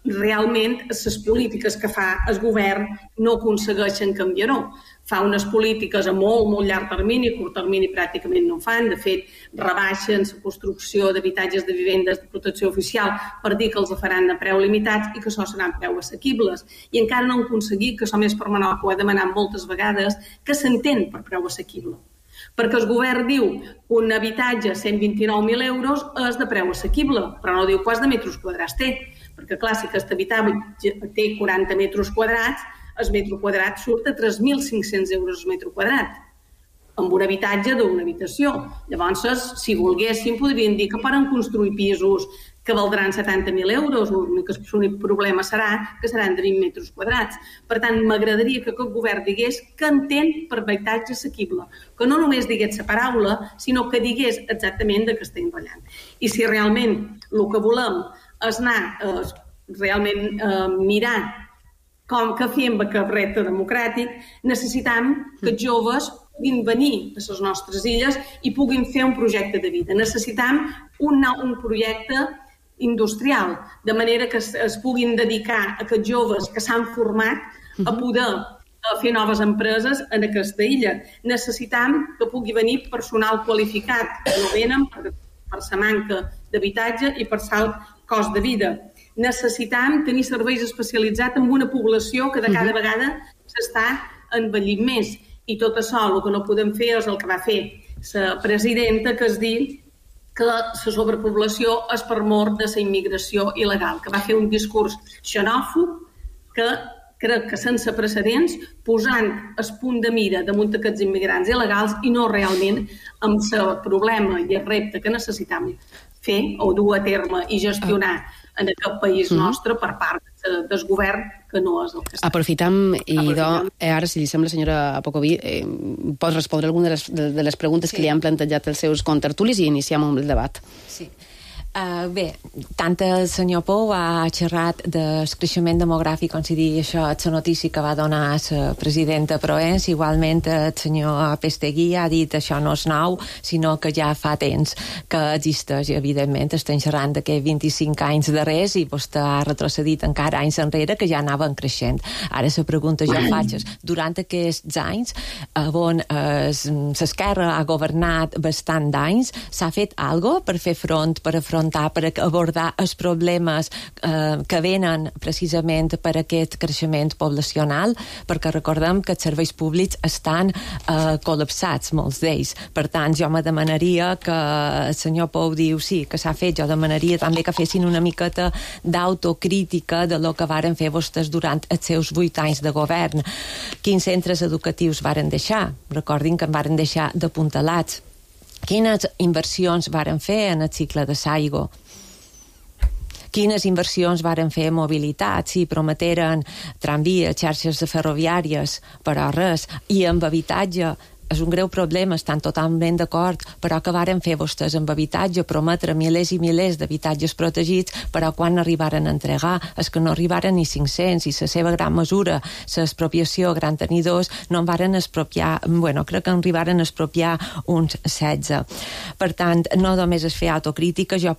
realment les polítiques que fa el govern no aconsegueixen canviar-ho. Fa unes polítiques a molt, molt llarg termini, a curt termini pràcticament no fan. De fet, rebaixen la construcció d'habitatges de vivendes de protecció oficial per dir que els faran a preu limitats i que això seran preu assequibles. I encara no han aconseguit, que això Més per Menorca ho ha demanat moltes vegades, que s'entén per preu assequible. Perquè el govern diu que un habitatge a 129.000 euros és de preu assequible, però no diu quants de metres quadrats té. Perquè, clar, si aquest habitatge té 40 metres quadrats, el metre quadrat surt a 3.500 euros el metre quadrat, amb un habitatge d'una habitació. Llavors, si volguessin, podrien dir que poden construir pisos que valdran 70.000 euros, l'únic problema serà que seran de 20 metres quadrats. Per tant, m'agradaria que aquest govern digués que entén per habitatge assequible, que no només digués la paraula, sinó que digués exactament de què estem ballant. I si realment el que volem és anar realment mirar què fem amb aquest repte democràtic, necessitem que els joves puguin venir a les nostres illes i puguin fer un projecte de vida. Necessitem un projecte industrial, de manera que es puguin dedicar a aquests joves que s'han format a poder fer noves empreses en aquesta illa. Necessitem que pugui venir personal qualificat, que no venen per la manca d'habitatge i per l'alt cost de vida. Necessitem tenir serveis especialitzats en una població que de cada vegada s'està envellint més. I tot això, el que no podem fer és el que va fer la presidenta, que és dir que la sobrepoblació és per mor de la immigració il·legal, que va fer un discurs xenòfob que crec que sense precedents, posant el punt de mira damunt aquests immigrants il·legals i no realment amb el problema i el repte que necessitam fer o dur a terme i gestionar en aquest país nostre per part del govern, que no és el que està. Aprofitam, ara, si li sembla, senyora Apocoví, pot respondre alguna de les preguntes que li han plantejat els seus contertulis i iniciem amb el debat. Sí. Bé, tant el senyor Pou ha xerrat del creixement demogràfic, com si dir això, la notícia que va donar la presidenta Proens, igualment el senyor Pestegui ha dit això no és nou, sinó que ja fa temps que existeix, i evidentment estem xerrant d'aquests 25 anys darrers i vostè ha retrocedit encara anys enrere que ja anaven creixent. Ara la pregunta jo faig és, durant aquests anys on l'esquerra ha governat bastant d'anys, s'ha fet alguna cosa per fer front, per abordar els problemes que venen precisament per aquest creixement poblacional, perquè recordem que els serveis públics estan col·lapsats, molts d'ells. Per tant, jo me demanaria que el senyor Pou diu sí, que s'ha fet, jo demanaria també que fessin una miqueta d'autocrítica de lo que varen fer vostès durant els seus 8 anys de govern. Quins centres educatius varen deixar? Recordin que en varen deixar d'apuntalats. Quines inversions varen fer en el cicle de Saigo? Quines inversions varen fer en mobilitat? Si prometeren tramvies, xarxes ferroviàries, però res. I amb habitatge, és un greu problema, estan totalment d'acord, però que varen fer vostès amb habitatge, prometre milers i milers d'habitatges protegits, però quan arribaren a entregar, és que no arribaren ni 500, i la seva gran mesura, l'expropiació gran tenidors, no en varen expropiar, crec que en arribaren a expropiar uns 16. Per tant, no només es fer autocrítica, jo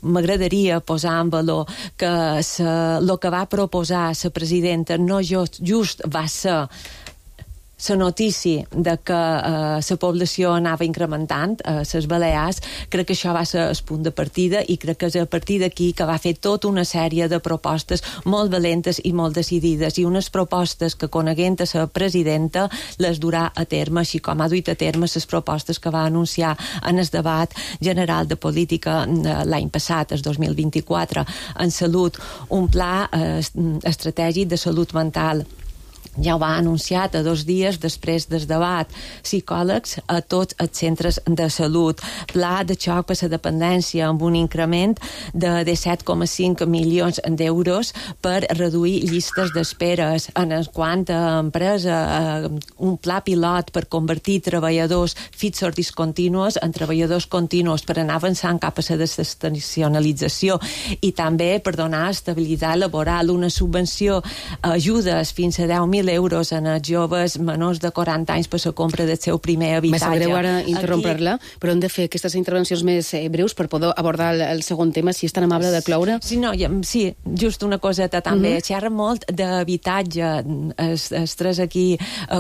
m'agradaria posar en valor que el que va proposar la presidenta no just va ser la notícia de que la població anava incrementant a les Balears. Crec que això va ser el punt de partida i crec que és a partir d'aquí que va fer tota una sèrie de propostes molt valentes i molt decidides, i unes propostes que, coneguent a la presidenta, les durà a terme, així com ha duit a terme les propostes que va anunciar en el debat general de política l'any passat, el 2024, en salut, un pla estratègic de salut mental. Ja ho ha anunciat a 2 dies després del debat. Psicòlegs a tots els centres de salut. Pla de xoc per la dependència amb un increment de 17,5 milions d'euros per reduir llistes d'esperes. En quant a empresa, un pla pilot per convertir treballadors fixos discontinus en treballadors continus per anar avançant cap a la desestacionalització i també per donar estabilitat laboral, una subvenció, ajudes fins a 10.000 euros en els joves menors de 40 anys per la compra del seu primer habitatge. Me sap greu ara interrompre-la, però hem de fer aquestes intervencions més breus per poder abordar el segon tema, si és tan amable de cloure. Sí, just una coseta també. Xerra molt d'habitatge. Els 3 aquí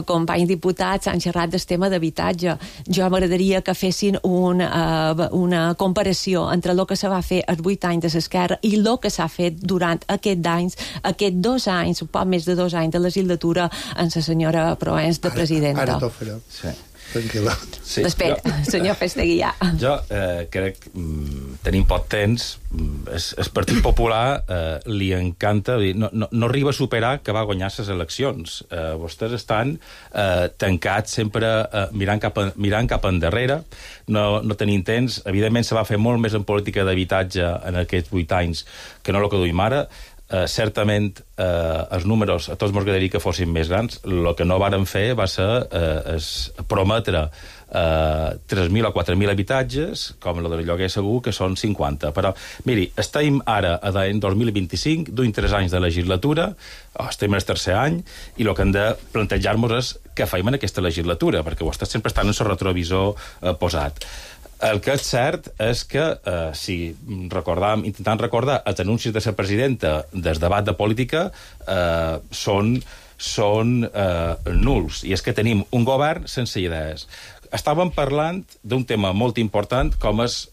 companys diputats han xerrat del tema d'habitatge. Jo m'agradaria que fessin una comparació entre el que se va fer els 8 anys de l'esquerra i el que s'ha fet durant aquests 2 anys, un poc més de 2 anys de legislatura en la senyora Proens de presidenta. Ara t'ho faré. Sí. Tranquil·la. Sí, espera, senyor Pestegui, ja. Jo crec, tenim poc temps, el Partit Popular li encanta, no arriba a superar que va guanyar les eleccions. Vostès estan tancats sempre mirant cap endarrere, no tenim temps. Evidentment se va fer molt més en política d'habitatge en aquests 8 anys que no el que duim ara. Certament els números a tots ens agradaria que fossin més grans. El que no varen fer va ser prometre 3.000 o 4.000 habitatges, com el del lloguer segur, que són 50. Però, miri, estem ara en 2025, duim 3 anys de legislatura, estem en el 3è any, i el que hem de plantejar-nos és què fem en aquesta legislatura, perquè vostès sempre estan en el retrovisor posat. El que és cert és que, si intentant recordar els anuncis de la presidenta del debat de política, són nuls. I és que tenim un govern sense idees. Estàvem parlant d'un tema molt important com és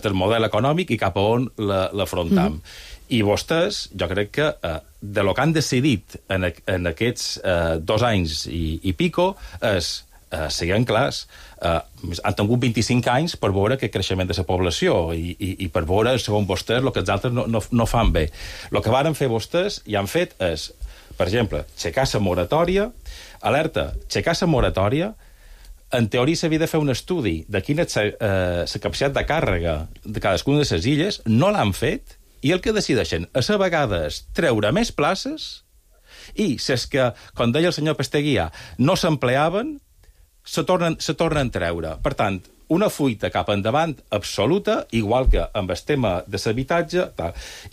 del model econòmic i cap a on l'afrontam. I vostès, jo crec que de lo que han decidit en aquests 2 anys i pico és, siguem clars, han tingut 25 anys per veure aquest creixement de la població i per veure, segons vostès, el que els altres no fan bé. El que varen fer vostès i han fet és per exemple, aixecar la moratòria, alerta, aixecar la moratòria, en teoria s'havia de fer un estudi de quina és la capacitat de càrrega de cadascuna de les illes, no l'han fet, i el que decideixen és a vegades treure més places i si és que, com deia el senyor Pesteguia, no s'empleaven, se tornen a treure. Per tant, una fuita cap endavant absoluta, igual que amb el tema de l'habitatge.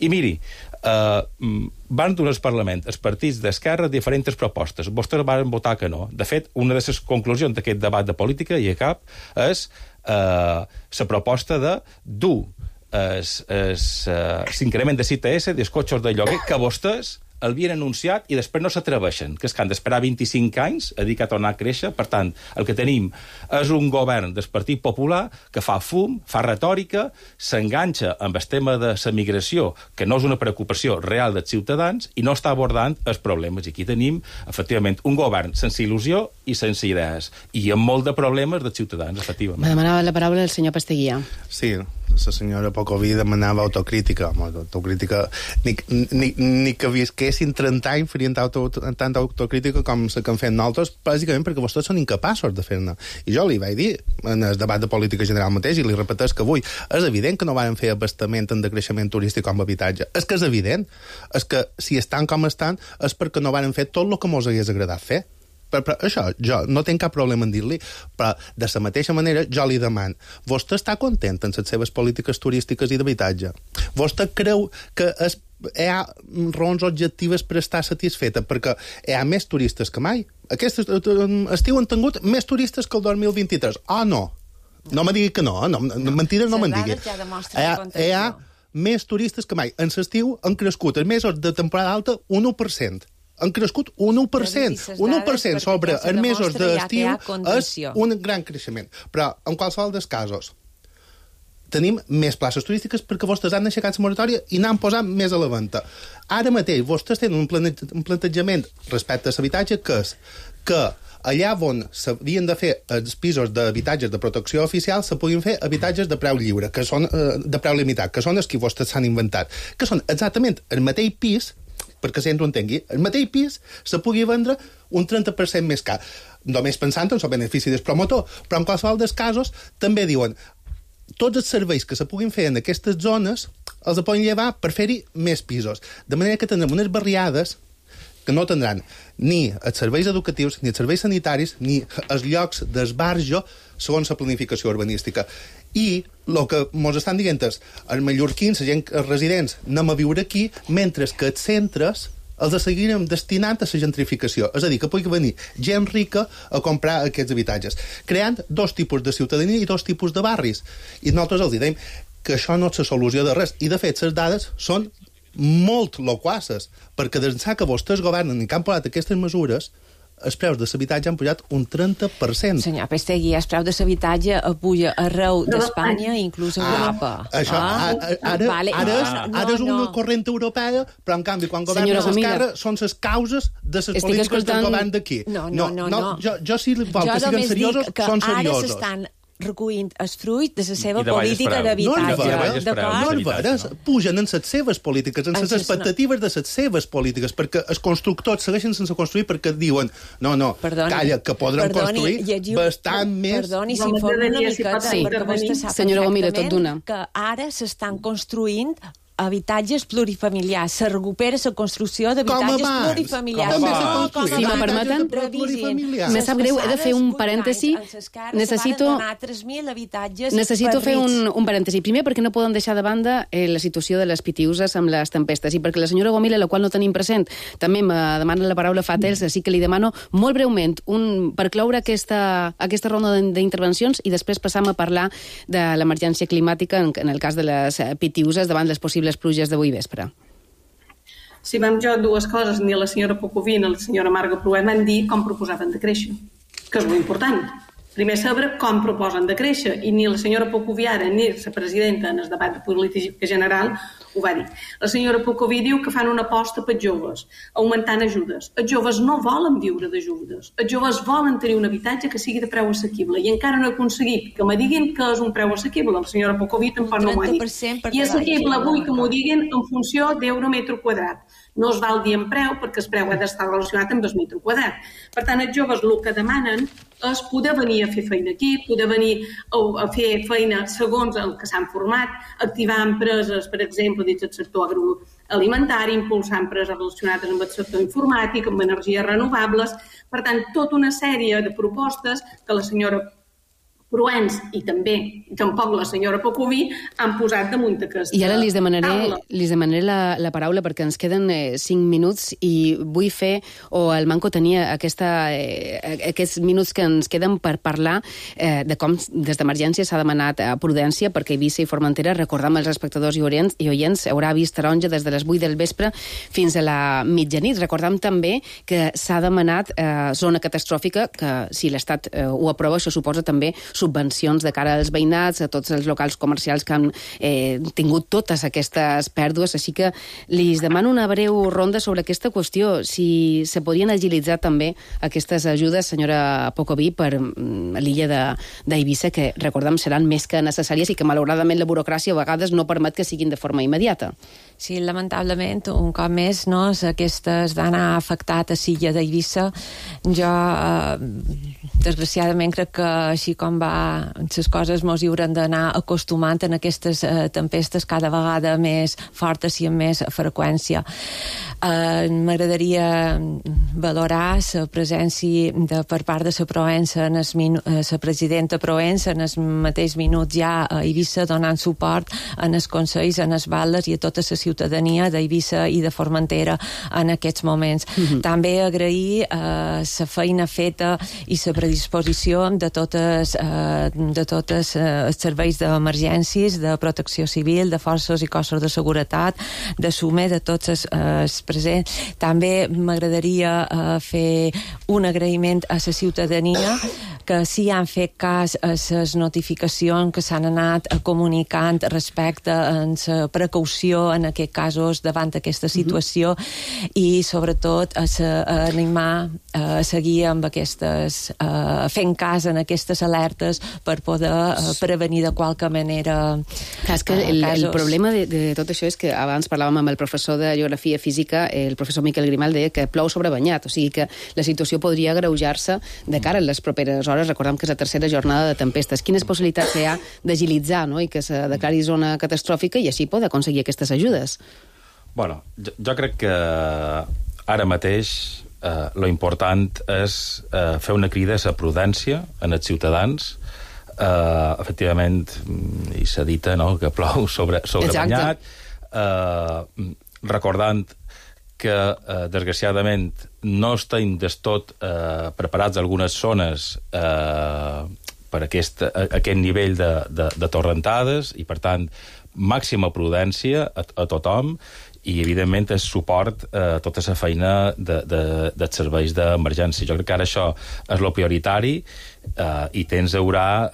I miri, van donar al Parlament els partits d'esquerra diferents propostes. Vostès van votar que no. De fet, una de les conclusions d'aquest debat de política, i a cap, és la proposta de dur l'increment de CTS dels cotxes de lloguer que vostès havien anunciat i després no s'atreveixen, que és que han d'esperar 25 anys a dir que ha tornat a créixer. Per tant, el que tenim és un govern del Partit Popular que fa fum, fa retòrica, s'enganxa amb el tema de la migració, que no és una preocupació real dels ciutadans, i no està abordant els problemes. I aquí tenim, efectivament, un govern sense il·lusió i sense idees, i amb molt de problemes dels ciutadans, efectivament. Me demanava la paraula el senyor Pesteguia. Sí, la senyora Pocoví demanava autocrítica. Autocrítica, ni que visquessin 30 anys farien tanta autocrítica com la que han fet nosaltres, bàsicament perquè vostès són incapaços de fer-ne. I jo li vaig dir en el debat de política general mateix, i li repeteix que avui és evident que no van fer abastament en decreixement turístic com habitatge. És que és evident. És que si estan com estan és perquè no van fer tot el que mos hagués agradat fer. Però això, jo no tinc cap problema en dir-li, però de la mateixa manera jo li demano, vostè està content en les seves polítiques turístiques i d'habitatge? Vostè creu que hi ha raons objectives per estar satisfeta perquè hi ha més turistes que mai? Aquest estiu han tingut més turistes que el 2023. No? No me digui que no, mentides no me'n digui. Hi ha més turistes que mai. En l'estiu han crescut els mesos de temporada alta un 1%. Han crescut un 1%. Un 1% sobre els mesos d'estiu és un gran creixement. Però, en qualsevol dels casos, tenim més places turístiques perquè vostès han aixecat la moratòria i n'han posat més a la venda. Ara mateix, vostès tenen un plantejament respecte a l'habitatge que és que allà on s'havien de fer els pisos d'habitatges de protecció oficial se puguin fer habitatges de preu lliure, que són de preu limitat, que són els que vostès s'han inventat, que són exactament el mateix pis, perquè si ens ho entengui, el mateix pis se pugui vendre un 30% més car. Només pensant en el benefici del promotor, però en qualsevol dels casos també diuen tots els serveis que se puguin fer en aquestes zones els poden llevar per fer-hi més pisos. De manera que tindrem unes barriades que no tindran ni els serveis educatius, ni els serveis sanitaris, ni els llocs d'esbarjo segons la planificació urbanística. I el que ens estan dient és els mallorquins, la gent residents, anem a viure aquí, mentre que els centres els seguirem destinant a la gentrificació. És a dir, que pugui venir gent rica a comprar aquests habitatges, creant dos tipus de ciutadania i dos tipus de barris. I nosaltres els diem que això no és la solució de res. I, de fet, les dades són molt loquaces, perquè des que vostès governen i que han posat aquestes mesures, els preus de l'habitatge han pujat un 30%. Senyor Pestegui, el preu de l'habitatge puja arreu d'Espanya, inclús a Europa. Això, ara és una corrent europea, però en canvi, quan governa l'esquerra, són les causes de les polítiques del govern d'aquí. No. Jo si vol que siguin seriosos, són seriosos. Ara s'estan recollint el fruit de la seva política d'habitatge. No, pugen en les seves polítiques, en les expectatives de les seves polítiques, perquè els constructors segueixen sense construir perquè diuen, no, calla, que podran construir bastant més... Perdoni, s'informa una miqueta, perquè vostè sap perfectament que ara s'estan construint habitatges plurifamiliars. Se recupera la construcció d'habitatges plurifamiliars. Si me permeten, me sap greu, he de fer un parèntesi. Necessito fer un parèntesi. Primer, perquè no poden deixar de banda la situació de les pitiuses amb les tempestes, i perquè la senyora Gomila, la qual no tenim present, també me demana la paraula fa temps, així que li demano molt breument, per cloure aquesta ronda d'intervencions, i després passam a parlar de l'emergència climàtica en el cas de les pitiuses davant les possibles pluges d'avui vespre. Si vam jo dues coses, ni la senyora Pocoví ni la senyora Marga Pruet van dir com proposaven de créixer, que és molt important. Primer saber com proposen de créixer, i ni la senyora Pocoví ara ni la presidenta en el debat de política general ho va dir. La senyora Pocoví diu que fan una aposta per joves, augmentant ajudes. Els joves no volen viure d'ajudes. Els joves volen tenir un habitatge que sigui de preu assequible, i encara no he aconseguit que me diguin que és un preu assequible. La senyora Pocoví tampoc no m'ho ha dit. I assequible vull que m'ho diguin en funció d'euro metre quadrat. no es val dir en preu perquè el preu ha d'estar relacionat amb el metre quadrat. Per tant, els joves el que demanen és poder venir a fer feina aquí, poder venir a fer feina segons el que s'han format, activar empreses, per exemple, dins del sector agroalimentari, impulsar empreses relacionades amb el sector informàtic, amb energies renovables. Per tant, tota una sèrie de propostes que la senyora Proens i també, tampoc la senyora Pocoví, han posat damunt d'aquesta I ara li taula. demanaré la paraula perquè ens queden 5 minuts i vull fer, o el Manco tenia aquests minuts que ens queden per parlar de com des d'emergència s'ha demanat prudència perquè Eivissa i Formentera, recordam als espectadors i oients, haurà vist taronja des de les 8 del vespre fins a la mitjanit. Recordam també que s'ha demanat zona catastròfica, que si l'Estat ho aprova, això suposa també subvencions de cara als veïnats, a tots els locals comercials que han tingut totes aquestes pèrdues. Així que li demano una breu ronda sobre aquesta qüestió. Si se podien agilitzar també aquestes ajudes, senyora Pocoví, per l'illa d'Eivissa, que, recordem, seran més que necessàries i que, malauradament, la burocràcia a vegades no permet que siguin de forma immediata. Sí, lamentablement, un cop més, no, aquestes d'anar afectat a l'illa d'Eivissa. Jo, desgraciadament, crec que així com va les coses mos hi hauran d'anar acostumant en aquestes tempestes cada vegada més fortes i amb més freqüència. M'agradaria valorar la presència per part de la Proença, la presidenta Proença, en els mateix minuts ja a Eivissa donant suport en els consells, en els batlles i a tota la ciutadania d'Eivissa i de Formentera en aquests moments. També agrair la feina feta i la predisposició de tots els serveis d'emergències, de protecció civil, de forces i cossos de seguretat, de SUME, de tots els presents. També m'agradaria fer un agraïment a la ciutadania que sí han fet cas a les notificacions que s'han anat comunicant respecte a la precaució en aquests casos davant d'aquesta situació i sobretot a animar a seguir amb aquestes fent cas en aquestes alertes per poder prevenir de qualque manera és que el problema de tot això és que abans parlàvem amb el professor de Geografia Física, el professor Miquel Grimal, deia que plou sobre banyat, o sigui que la situació podria agreujar-se de cara a les properes hores. Recordem que és la tercera jornada de tempestes. Quines possibilitats hi ha d'agilitzar, no?, i que se declari zona catastròfica i així poder aconseguir aquestes ajudes? Bueno, jo crec que ara mateix lo important és fer una crida a la prudència en els ciutadans. Efectivament, i s'ha dit, no?, que plou sobre banyat, recordant que, desgraciadament, no estem del tot preparats algunes zones per aquest nivell de torrentades i, per tant, màxima prudència a tothom i, evidentment, el suport a tota la feina dels serveis d'emergència. Jo crec que ara això és el prioritari i temps haurà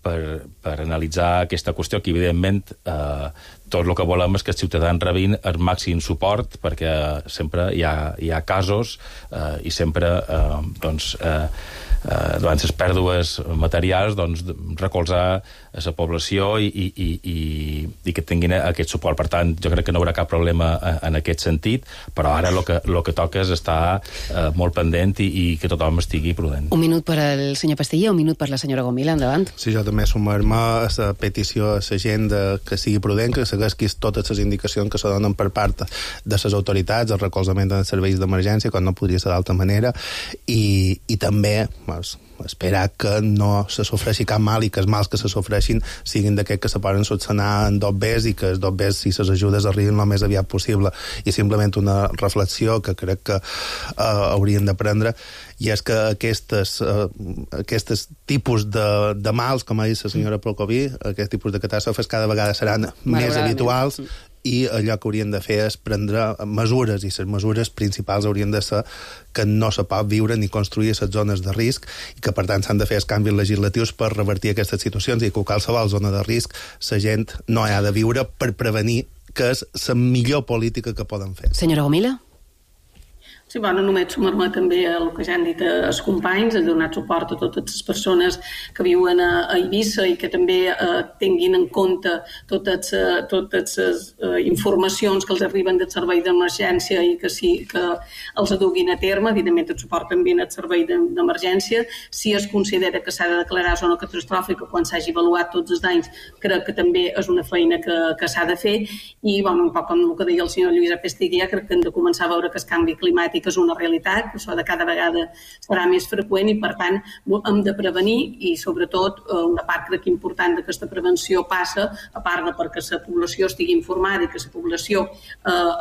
per analitzar aquesta qüestió, que, evidentment, tot el que volem és que els ciutadans rebin el màxim suport, perquè sempre hi ha casos i sempre, davant les pèrdues materials, recolzar a la població i que tinguin aquest suport. Per tant, jo crec que no hi haurà cap problema en aquest sentit, però ara el que toca és estar molt pendent i que tothom estigui prudent. Un minut per al senyor Pastilla, un minut per la senyora Gomila, endavant. Sí, jo també sumar-me a la petició a la gent que sigui prudent, que segueixi totes les indicacions que se donen per part de les autoritats, el recolzament dels serveis d'emergència, quan no podria ser d'altra manera, i també esperar que no se sofreixi cap mal i que els mals que se sofreixin siguin d'aquests que se poden solucionar en 2 bes i que els 2 bes, si les ajudes arriben el més aviat possible. I simplement una reflexió que crec que haurien de prendre, i és que aquests tipus de mals, com ha dit la senyora Pocoví, aquest tipus de catàstrofes cada vegada seran més habituals, i allò que haurien de fer és prendre mesures, i les mesures principals haurien de ser que no se pot viure ni construir a les zones de risc i que, per tant, s'han de fer els canvis legislatius per revertir aquestes situacions i que qualsevol zona de risc la gent no hi ha de viure per prevenir, que és la millor política que poden fer. Senyora Gomila? Sí, bueno, només sumar-me també al que ja han dit els companys, de donar suport a totes les persones que viuen a Eivissa i que també tinguin en compte totes les informacions que els arriben del servei d'emergència i que els aduguin a terme. Evidentment, el suport també al servei d'emergència. Si es considera que s'ha de declarar zona catastròfica quan s'hagi avaluat tots els danys, crec que també és una feina que s'ha de fer. I, bueno, un poc amb el que deia el senyor Lluís Apesteguía, crec que hem de començar a veure que el canvi climàtic és una realitat, que això de cada vegada serà més freqüent i, per tant, hem de prevenir i, sobretot, una part crec important d'aquesta prevenció passa, a part de perquè la població estigui informada i que la població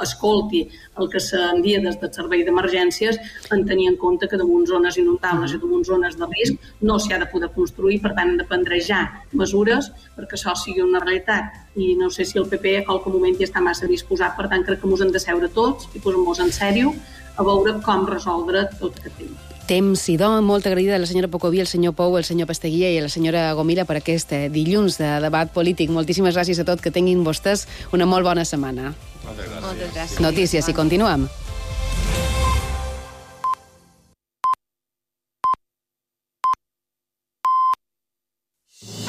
escolti el que s'envia des del servei d'emergències, en tenir en compte que damunt zones inundables i damunt zones de risc no s'hi ha de poder construir, per tant, hem de prendre ja mesures perquè això sigui una realitat. I no sé si el PP a qualque moment ja està massa disposat, per tant, crec que ens hem de seure tots i posar-nos en sèrio a veure com resoldre tot aquest tema. Temps i molt agraïda a la senyora Pocoví, el senyor Pou, el senyor Pasteguía i a la senyora Gomila per aquest dilluns de debat polític. Moltíssimes gràcies a tots, que tinguin vostès una molt bona setmana. Moltes gràcies. Notícies i continuem.